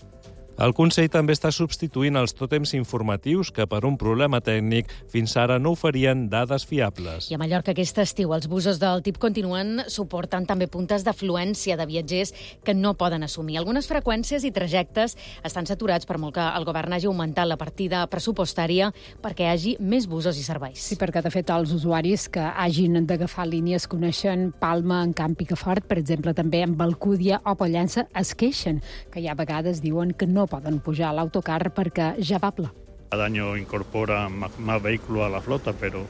El Consell també està substituint els tòtems informatius que, per un problema tècnic, fins ara no oferien dades fiables. I a Mallorca aquest estiu els busos del TIP continuen suportant també puntes d'afluència de viatgers que no poden assumir. Algunes freqüències i trajectes estan saturats per molt que el govern hagi augmentat la partida pressupostària perquè hi hagi més busos i serveis. Sí, perquè de fet els usuaris que hagin d'agafar línies coneixen Palma, en Camp Picafort, per exemple, també en Alcúdia o Pollença, es queixen que hi ha vegades diuen que no poden pujar a l'autocar perquè ja va ple. Cada año incorpora más vehículos a la flota, pero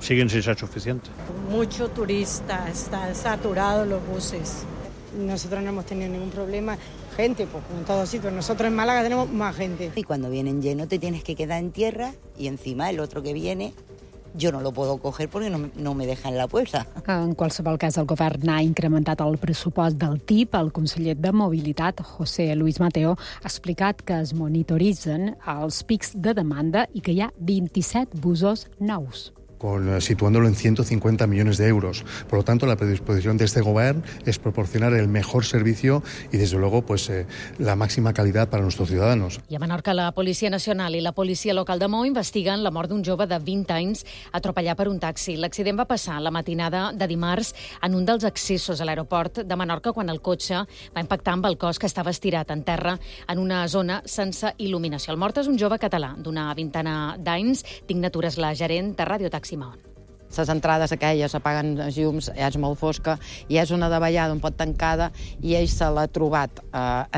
siguen sin ser suficientes. Mucho turista, están saturados los buses. Nosotros no hemos tenido ningún problema. Gente, pues como en todos sitios. Nosotros en Málaga tenemos más gente. Y cuando vienen llenos te tienes que quedar en tierra y encima el otro que viene jo no lo puedo coger porque no me deja en la puerta. En qualsevol cas, el govern ha incrementat el pressupost del TIP. El conseller de Mobilitat, José Luis Mateo, ha explicat que es monitoritzen els pics de demanda i que hi ha 27 busos nous. Situándolo en 150 millones de euros. Por lo tanto, la predisposición de este gobierno es proporcionar el mejor servicio y, desde luego, pues la máxima calidad para nuestros ciudadanos. I a Menorca, la Policia Nacional i la Policia Local de Maó investiguen la mort d'un jove de 20 anys atropellat per un taxi. L'accident va passar la matinada de dimarts en un dels accessos a l'aeroport de Menorca quan el cotxe va impactar amb el cos que estava estirat en terra en una zona sense il·luminació. El mort és un jove català d'una vintena d'anys. Dignatura és la gerent de Radio Taxi Maó. Les entrades aquelles apaguen llums, ja és molt fosca, i és una davallada un pot tancada i ell se l'ha trobat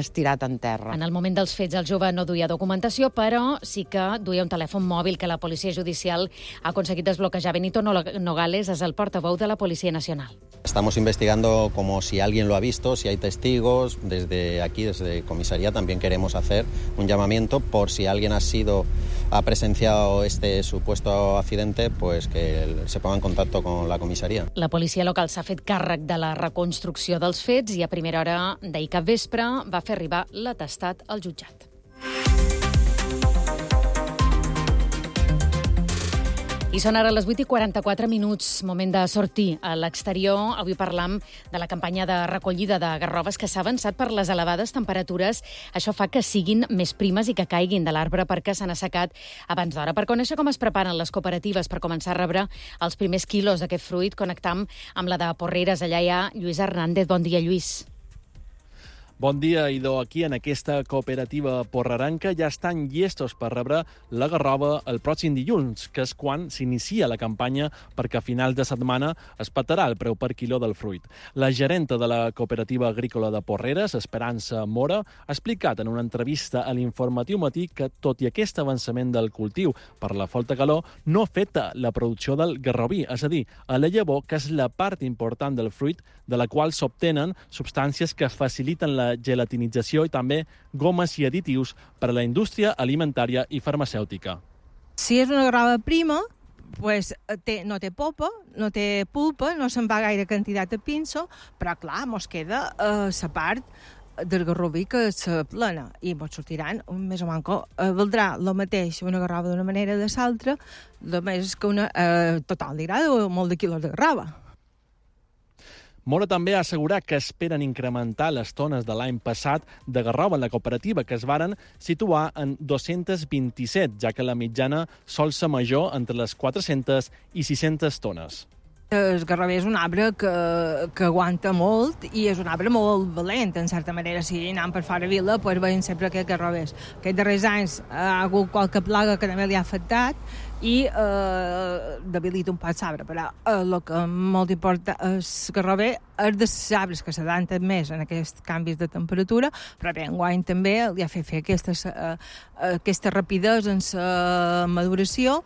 estirat en terra. En el moment dels fets el jove no duia documentació, però sí que duia un telèfon mòbil que la Policia Judicial ha aconseguit desbloquejar. Benito Nogales és el portaveu de la Policia Nacional. Estamos investigando como si alguien lo ha visto, si hay testigos. Desde aquí, desde comisaría, también queremos hacer un llamamiento por si alguien ha presenciado este supuesto accidente, pues que se ponga en contacto con la comissaria. La policia local s'ha fet càrrec de la reconstrucció dels fets i a primera hora d'ahir cap vespre va fer arribar l'atestat al jutjat. I són ara les 8:44, moment de sortir a l'exterior. Avui parlam de la campanya de recollida de garroves que s'ha avançat per les elevades temperatures. Això fa que siguin més primes i que caiguin de l'arbre perquè s'han assecat abans d'hora. Per conèixer com es preparen les cooperatives per començar a rebre els primers quilos d'aquest fruit, connectam amb la de Porreres. Allà hi ha Lluís Hernández. Bon dia, Lluís. Bon dia, Idò. Aquí, en aquesta cooperativa porreranca, ja estan llestos per rebre la garrova el pròxim dilluns, que és quan s'inicia la campanya perquè a finals de setmana es petarà el preu per quiló del fruit. La gerenta de la cooperativa agrícola de Porreres, Esperança Mora, ha explicat en una entrevista a l'Informatiu Matí que, tot i aquest avançament del cultiu per la forta calor, no afecta la producció del garroví, és a dir, a la llavor, que és la part important del fruit, de la qual s'obtenen substàncies que faciliten la gelatinització i també gomes i additius per a la indústria alimentària i farmacèutica. Si és una garrova prima, pues, no té polpa, no té pulpa, no se'n va gaire quantitat de pinso, però clar, mos queda la part del Garroví que és plena, i ens sortiran més o manco. Valdrà el mateix una garrova d'una manera de l'altra, només que una total dirà molt de quilos de garrova. Mora també ha assegurat que esperen incrementar les tones de l'any passat de garrova en la cooperativa, que es varen situar en 227, ja que la mitjana sol ser major entre les 400 i 600 tones. El garrover és un arbre que aguanta molt i és un arbre molt valent, en certa manera. Si anem per fora vila, doncs veiem sempre aquests garrovers. Aquests darrers anys ha hagut qualque plaga que també li ha afectat i debilita un poc l'arbre, però el que molt importa és garrover és dels arbres que s'adapten més en aquests canvis de temperatura, però bé, enguany també li ha fet fer aquesta rapidesa en la maduració.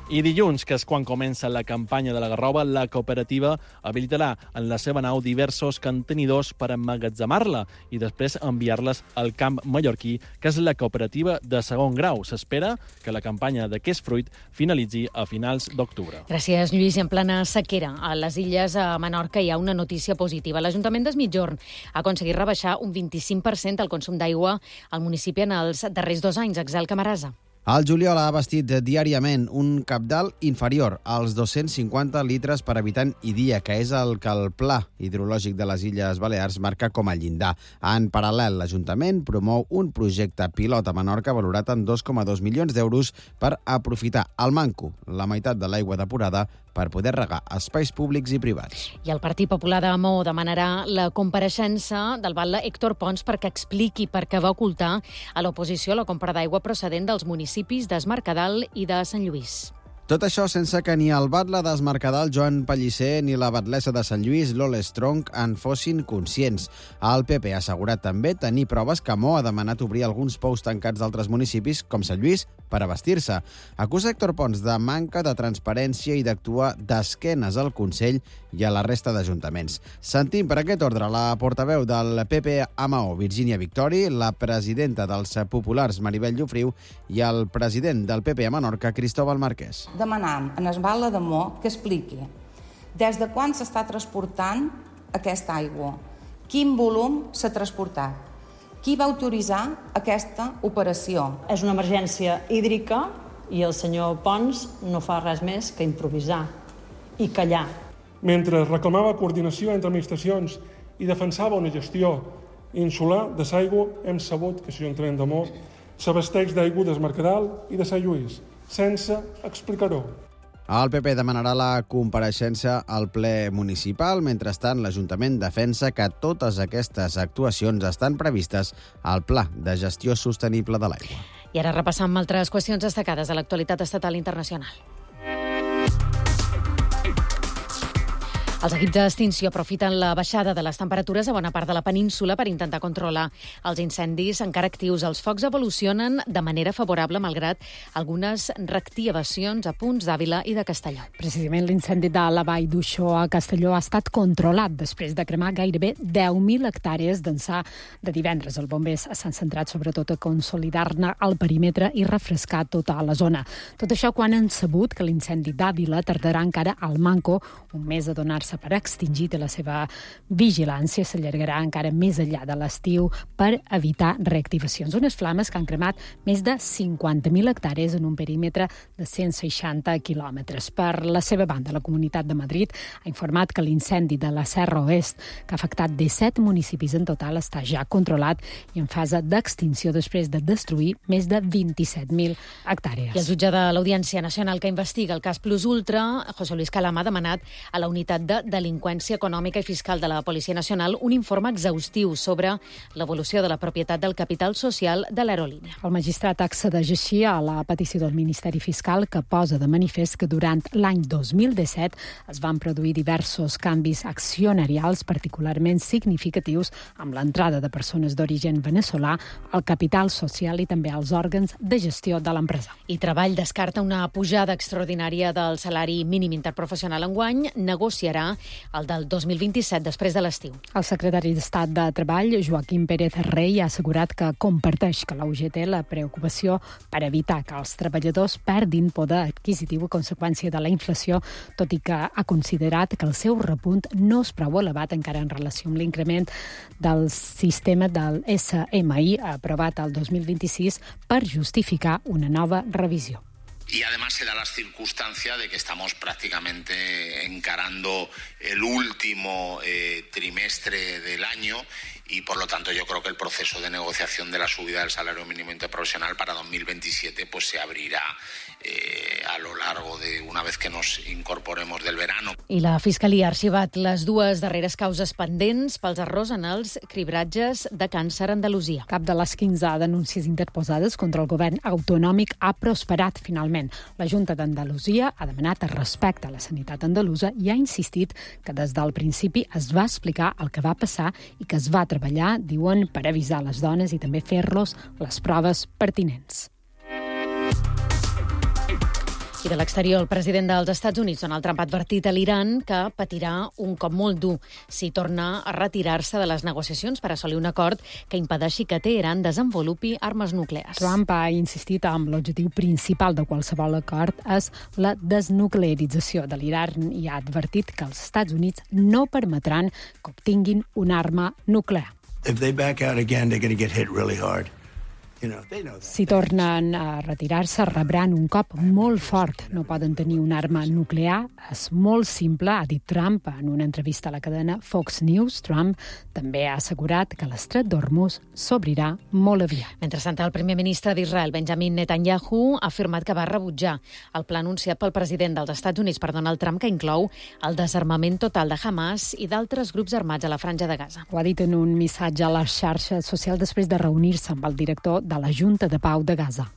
I dilluns, que és quan comença la campanya de la garrova, la cooperativa habilitarà en la seva nau diversos contenidors per emmagatzemar-la i després enviar-les al camp mallorquí, que és la cooperativa de segon grau. S'espera que la campanya d'aquest fruit finalitzi a finals d'octubre. Gràcies, Lluís. I en plena sequera, a les Illes, a Menorca, hi ha una notícia positiva. L'Ajuntament d'Es Migjorn ha aconseguit rebaixar un 25% el consum d'aigua al municipi en els darrers 2 anys. Axel Camarasa. El juliol ha abastit diàriament un cabdal inferior als 250 litres per habitant i dia, que és el que el Pla Hidrològic de les Illes Balears marca com a llindar. En paral·lel, l'Ajuntament promou un projecte pilot a Menorca valorat en 2,2 milions d'euros per aprofitar al manco la meitat de l'aigua depurada per poder regar espais públics i privats. I el Partit Popular de Maó demanarà la compareixença del batlle Héctor Pons perquè expliqui per què va ocultar a l'oposició la compra d'aigua procedent dels municipis d'Es Mercadal i de Sant Lluís. Tot això sense que ni el batlle d'Es Mercadal, Joan Pellicer, ni la batlessa de Sant Lluís, Lola Strong, en fossin conscients. El PP ha assegurat també tenir proves que Maó ha demanat obrir alguns pous tancats d'altres municipis, com Sant Lluís, per abastir-se. Acusa Héctor Pons de manca de transparència i d'actuar d'esquenes al Consell i a la resta d'ajuntaments. Sentim per aquest ordre la portaveu del PP a Maó, Virgínia Victori, la presidenta dels Populars, Maribel Llofriu, i el president del PP a Menorca, Cristóbal Marquès. Demanam a el batlle de Maó que expliqui des de quan s'està transportant aquesta aigua, quin volum s'ha transportat, qui va autoritzar aquesta operació. És una emergència hídrica i el senyor Pons no fa res més que improvisar i callar. Mentre reclamava coordinació entre administracions i defensava una gestió insular de l'aigua, hem sabut que l'Ajuntament de Maó s'abasteix d'aigua d'Es Mercadal i de Sant Lluís, sense explicar-ho. El PP demanarà la compareixença al ple municipal. Mentrestant, l'Ajuntament defensa que totes aquestes actuacions estan previstes al Pla de Gestió Sostenible de l'Aigua. I ara repassam altres qüestions destacades de l'actualitat estatal i internacional. Els equips d'extinció aprofiten la baixada de les temperatures a bona part de la península per intentar controlar els incendis encara actius. Els focs evolucionen de manera favorable, malgrat algunes reactivacions a punts d'Àvila i de Castelló. Precisament l'incendi de la vall d'Uixó a Castelló ha estat controlat després de cremar gairebé 10.000 hectàrees d'ençà de divendres. Els bombers s'han centrat sobretot a consolidar-ne el perímetre i refrescar tota la zona. Tot això quan han sabut que l'incendi d'Àvila tardarà encara al manco un mes a donar-se per extingit i la seva vigilància s'allargarà encara més enllà de l'estiu per evitar reactivacions. Unes flames que han cremat més de 50.000 hectàrees en un perímetre de 160 quilòmetres. Per la seva banda, la Comunitat de Madrid ha informat que l'incendi de la Serra Oest, que ha afectat 17 municipis en total, està ja controlat i en fase d'extinció després de destruir més de 27.000 hectàrees. I el jutge de l'Audiència Nacional que investiga el cas Plus Ultra, José Luis Calama, ha demanat a la unitat de delinqüència econòmica i fiscal de la Policia Nacional un informe exhaustiu sobre l'evolució de la propietat del capital social de l'aerolínia. El magistrat accedeix així a la petició del Ministeri Fiscal, que posa de manifest que durant l'any 2017 es van produir diversos canvis accionarials particularment significatius amb l'entrada de persones d'origen veneçolà al capital social i també als òrgans de gestió de l'empresa. I Treball descarta una pujada extraordinària del salari mínim interprofessional enguany, negociarà serà el del 2027, després de l'estiu. El secretari d'Estat de Treball, Joaquim Pérez Rey, ha assegurat que comparteix que la UGT la preocupació per evitar que els treballadors perdin poder adquisitiu a conseqüència de la inflació, tot i que ha considerat que el seu repunt no és prou elevat encara en relació amb l'increment del sistema del SMI aprovat el 2026 per justificar una nova revisió. Y además se da la circunstancia de que estamos prácticamente encarando el último trimestre del año y por lo tanto yo creo que el proceso de negociación de la subida del salario mínimo interprofesional para 2027 pues se abrirá a lo largo de una vez que nos incorporemos del verano. I la Fiscalia ha arxivat les dues darreres causes pendents pels errors en els cribratges de càncer a Andalusia. Cap de les 15 denúncies interposades contra el govern autonòmic ha prosperat finalment. La Junta d'Andalusia ha demanat respecte a la sanitat andalusa i ha insistit que des del principi es va explicar el que va passar i que es va treballar, diuen, per avisar les dones i també fer-los les proves pertinents. I de l'exterior, el president dels Estats Units, Donald Trump, ha advertit a l'Iran que patirà un cop molt dur si torna a retirar-se de les negociacions per assolir un acord que impedeixi que Teheran desenvolupi armes nuclears. Trump ha insistit en l'objectiu principal de qualsevol acord és la desnuclearització de l'Iran i ha advertit que els Estats Units no permetran que obtinguin una arma nuclear. If they back out again, they're going to get hit really hard. Si tornen a retirar-se, rebran un cop molt fort. No poden tenir una arma nuclear. És molt simple, ha dit Trump en una entrevista a la cadena Fox News. Trump també ha assegurat que l'estret d'Hormuz s'obrirà molt aviat. Mentrestant, el primer ministre d'Israel, Benjamin Netanyahu, ha afirmat que va rebutjar el pla anunciat pel president dels Estats Units per Donald Trump, que inclou el desarmament total de Hamas i d'altres grups armats a la Franja de Gaza. Ho ha dit en un missatge a les xarxes socials després de reunir-se amb el director de la Junta de Pau de Gaza.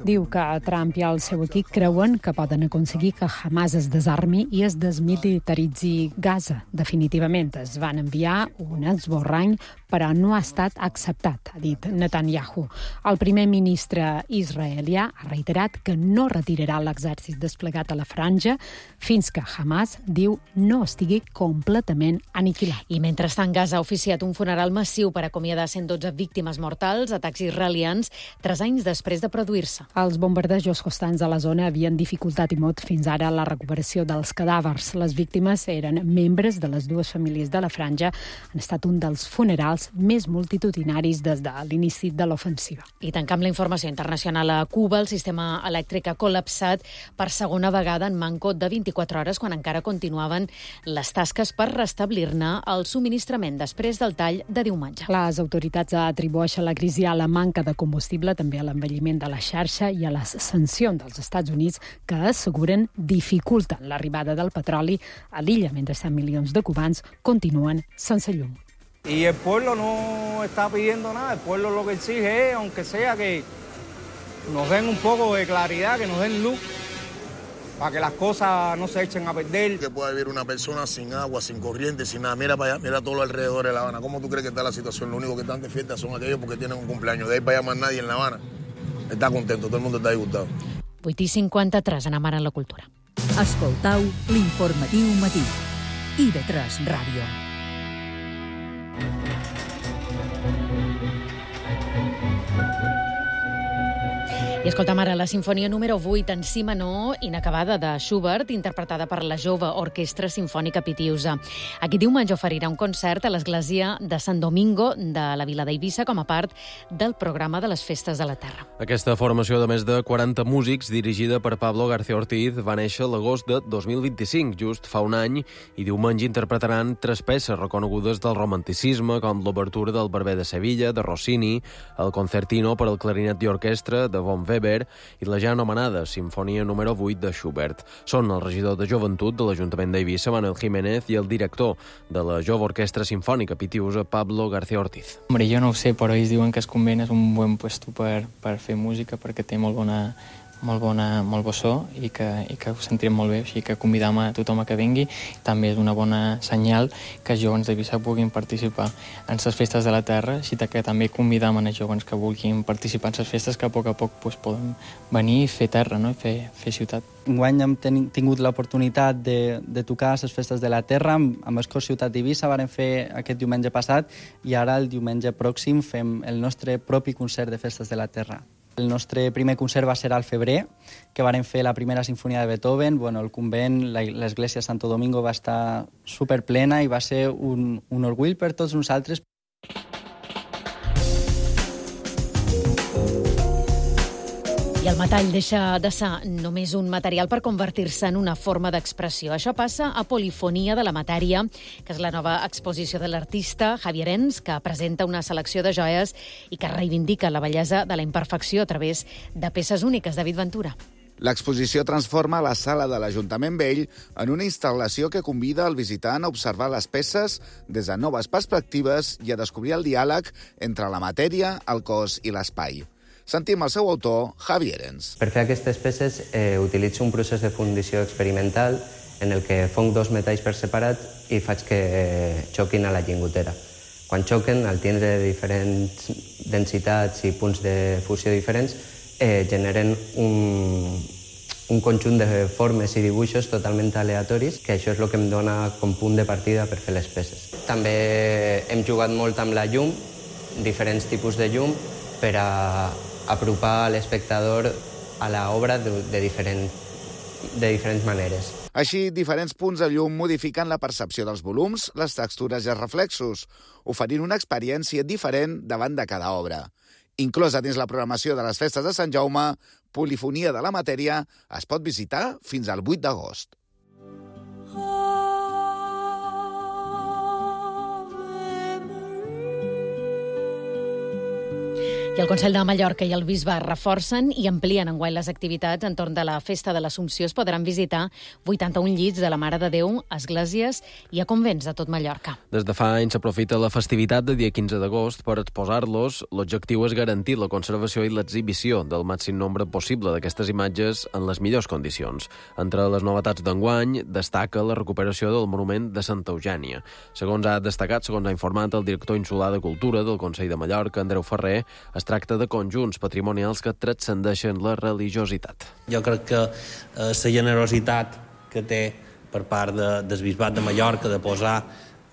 Diu que Trump i el seu equip creuen que poden aconseguir que Hamas es desarmi i es desmilitaritzi Gaza. Definitivament es van enviar un esborrany, però no ha estat acceptat, ha dit Netanyahu. El primer ministre israelià ha reiterat que no retirarà l'exèrcit desplegat a la franja fins que Hamas, diu, no estigui completament aniquilat. I mentrestant, Gaza ha oficiat un funeral massiu per acomiadar 112 víctimes mortals, atacs israelians, 3 anys després de produir-se. Els bombardejos constants a la zona havien dificultat i molt fins ara la recuperació dels cadàvers. Les víctimes eren membres de les dues famílies de la franja. Han estat un dels funerals més multitudinaris des de l'inici de l'ofensiva. I tancant la informació internacional, a Cuba el sistema elèctric ha col·lapsat per segona vegada en manco de 24 hores, quan encara continuaven les tasques per restablir-ne el subministrament després del tall de diumenge. Les autoritats atribueixen la crisi a la manca de combustible, també a l'envelliment de la xarxa i a les sancions dels Estats Units que asseguren dificulten l'arribada del petroli a l'illa, mentre milions de cubans continuen sense llum. Y el pueblo no está pidiendo nada, el pueblo lo que exige es, aunque sea que nos den un poco de claridad, que nos den luz, para que las cosas no se echen a perder. Que pueda vivir una persona sin agua, sin corriente, sin nada. Mira para allá, mira todo lo alrededor de La Habana. ¿Cómo tú crees que está la situación? Lo único que están de fiesta son aquellos porque tienen un cumpleaños. De ahí para allá más nadie en La Habana està contento, todo el mundo está disgustado. 8:53, anem ara a la cultura. Escoltau l'informatiu matí. IB3 Ràdio. I escoltam ara la sinfonia número 8 en si menor, inacabada, de Schubert, interpretada per la jove Orquestra Simfònica Pitiusa. Aquest diumenge oferirà un concert a l'església de Sant Domingo de la vila d'Eivissa com a part del programa de les Festes de la Terra. Aquesta formació de més de 40 músics, dirigida per Pablo García Ortiz, va néixer l'agost de 2025, just fa un any, i diumenge interpretaran 3 peces reconegudes del romanticisme, com l'obertura del Barber de Sevilla, de Rossini, el concertino per al clarinet i orquestra, de Von Weber, i la ja anomenada Sinfonia número 8 de Schubert. Són el regidor de Joventut de l'Ajuntament d'Eivissa, Manuel Jiménez, i el director de la Jove Orquestra Simfònica Pitiusa, Pablo García Ortiz. Hombre, jo no ho sé, però ells diuen que es convé, és un bon puesto per fer música, perquè té molt molt bo so i que ho sentirem molt bé, així que convidam a tothom a que vingui. També és una bona senyal que els joves d'Eivissa puguin participar en les festes de la terra, així que també convidam a els joves que vulguin participar en les festes, que a poc poden venir i fer terra, no? I fer ciutat. Enguany hem tingut l'oportunitat de tocar a les festes de la terra amb el Cor Ciutat d'Eivissa, vàrem fer aquest diumenge passat i ara el diumenge pròxim fem el nostre propi concert de festes de la terra. El nostre primer concert va ser al febrer, que vàrem fer la primera sinfonia de Beethoven. El convent, l'església de Santo Domingo va estar superplena i va ser un orgull per tots nosaltres. I el metall deixa de ser només un material per convertir-se en una forma d'expressió. Això passa a Polifonia de la Matèria, que és la nova exposició de l'artista Javier Ens, que presenta una selecció de joies i que reivindica la bellesa de la imperfecció a través de peces úniques. David Ventura. L'exposició transforma la sala de l'Ajuntament Vell en una instal·lació que convida el visitant a observar les peces des de noves perspectives i a descobrir el diàleg entre la matèria, el cos i l'espai. Sentim el seu autor, Javier Ens. Per fer aquestes peces utilitzo un procés de fundició experimental en el que fonc dos metalls per separat i faig que xoquin a la lligotera. Quan xoquen, al tindre diferents densitats i punts de fusió diferents, generen un conjunt de formes i dibuixos totalment aleatoris, que això és el que em dona com punt de partida per fer les peces. També hem jugat molt amb la llum, diferents tipus de llum, per a apropar l'espectador a l'obra de diferents maneres. Així, diferents punts de llum modifiquen la percepció dels volums, les textures i els reflexos, oferint una experiència diferent davant de cada obra. Inclosa dins la programació de les festes de Sant Jaume, Polifonia de la Matèria es pot visitar fins al 8 d'agost. I el Consell de Mallorca i el Bisbe reforcen i amplien enguany les activitats entorn de la Festa de l'Assumpció. Es podran visitar 81 llits de la Mare de Déu, esglésies i a convents de tot Mallorca. Des de fa anys s'aprofita la festivitat de dia 15 d'agost per exposar-los. L'objectiu és garantir la conservació i l'exhibició del màxim nombre possible d'aquestes imatges en les millors condicions. Entre les novetats d'enguany destaca la recuperació del monument de Santa Eugènia. Segons ha informat el director insular de Cultura del Consell de Mallorca, Andreu Ferrer, es tracta de conjunts patrimonials que transcendeixen la religiositat. Jo crec que la generositat que té per part del Bisbat de Mallorca de posar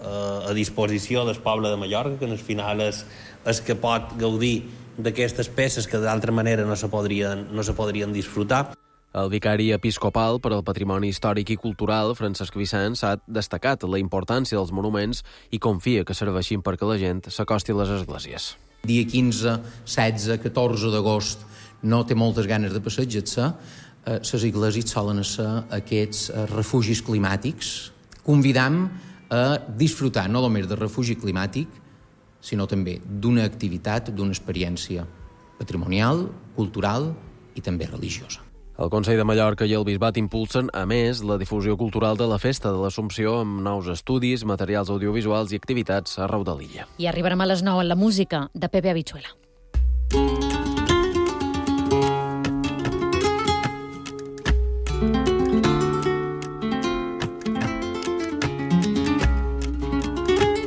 a disposició del poble de Mallorca, que al final és que pot gaudir d'aquestes peces que d'altra manera no se podrien disfrutar. El vicari episcopal per al patrimoni històric i cultural, Francesc Vicens, ha destacat la importància dels monuments i confia que serveixin perquè la gent s'acosti a les esglésies. Dia 15, 16, 14 d'agost no té moltes ganes de passejar-se, les esglésies solen ser aquests refugis climàtics. Convidam a disfrutar no només del refugi climàtic, sinó també d'una activitat, d'una experiència patrimonial, cultural i també religiosa. El Consell de Mallorca i el Bisbat impulsen, a més, la difusió cultural de la Festa de l'Assumpció amb nous estudis, materials audiovisuals i activitats arreu de l'illa. I arribarem a les 9 en la música de Pepe Habichuela.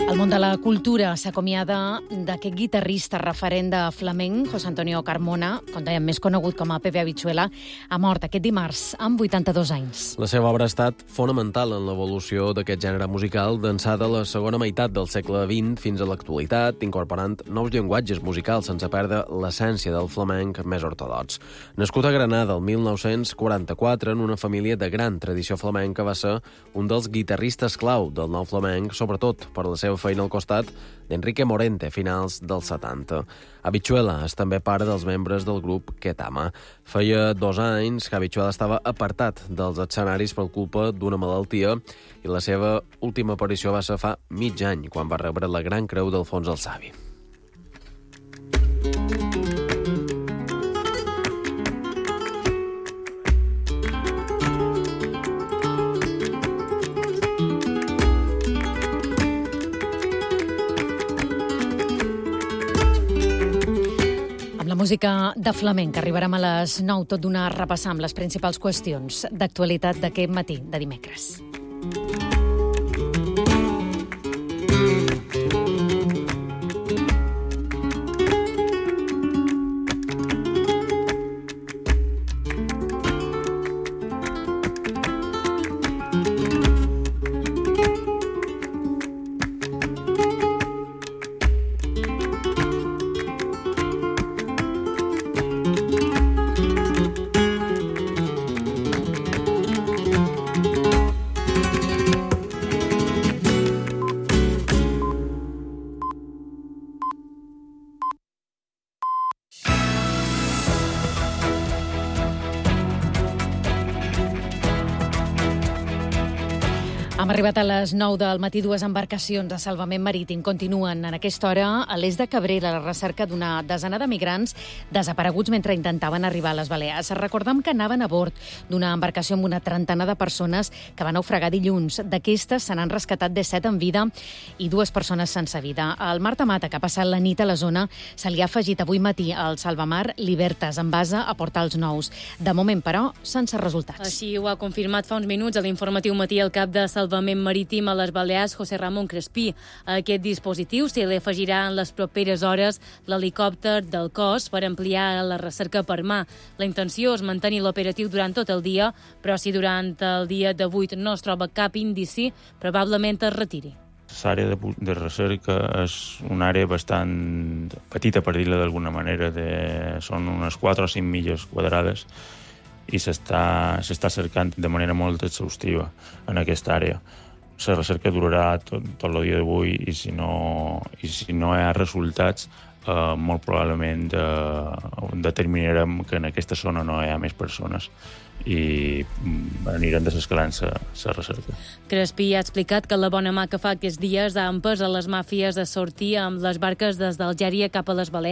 El món de la cultura s'acomiada d'aquest guitarrista referent de flamenc, José Antonio Carmona, com dèiem, més conegut com a Pepe Habichuela, ha mort aquest dimarts amb 82 anys. La seva obra ha estat fonamental en l'evolució d'aquest gènere musical d'ençà de la segona meitat del segle XX fins a l'actualitat, incorporant nous llenguatges musicals sense perdre l'essència del flamenc més ortodox. Nascut a Granada el 1944 en una família de gran tradició flamenca, va ser un dels guitarristes clau del nou flamenc, sobretot per la seva feina al costat d'Enrique Morente a finals dels 70. Habichuela és també pare dels membres del grup Ketama. Feia 2 anys que Habichuela estava apartat dels escenaris per culpa d'una malaltia i la seva última aparició va ser fa mig any, quan va rebre la Gran Creu d'Alfons el Savi. música de flamenc. Arribarem a les 9, tot d'una repassar amb les principals qüestions d'actualitat d'aquest matí de dimecres. Hem arribat a les 9 del matí. Dues embarcacions de salvament marítim continuen en aquesta hora a l'est de Cabrera a la recerca d'una desena de migrants desapareguts mentre intentaven arribar a les Balears. Recordem que anaven a bord d'una embarcació amb una trentena de persones que van naufragar dilluns. D'aquestes se n'han rescatat 17 en vida i 2 persones sense vida. El Marta Mata, que ha passat la nit a la zona, se li ha afegit avui matí al salvamar Libertas, en base a Portals Nous. De moment, però, sense resultats. Així ho ha confirmat fa uns minuts a l'informatiu matí el cap de Salvament Marítim a les Balears, José Ramón Crespí. A aquest dispositiu se li afegirà en les properes hores l'helicòpter del cos per ampliar la recerca per mà. La intenció és mantenir l'operatiu durant tot el dia, però si durant el dia d'avui no es troba cap indici, probablement es retiri. L'àrea de recerca és una àrea bastant petita, per dir-la d'alguna manera, són unes 4 o 5 milles quadrades, i s'està cercant de manera molt exhaustiva en aquesta àrea. La recerca durarà tot el dia d'avui i si no hi ha resultats, molt probablement determinarem que en aquesta zona no hi ha més persones i anirem desescalant la recerca. Crespí ha explicat que la bona mà que fa aquests dies ha empès a les màfies a sortir amb les barques des d'Algèria cap a les Balears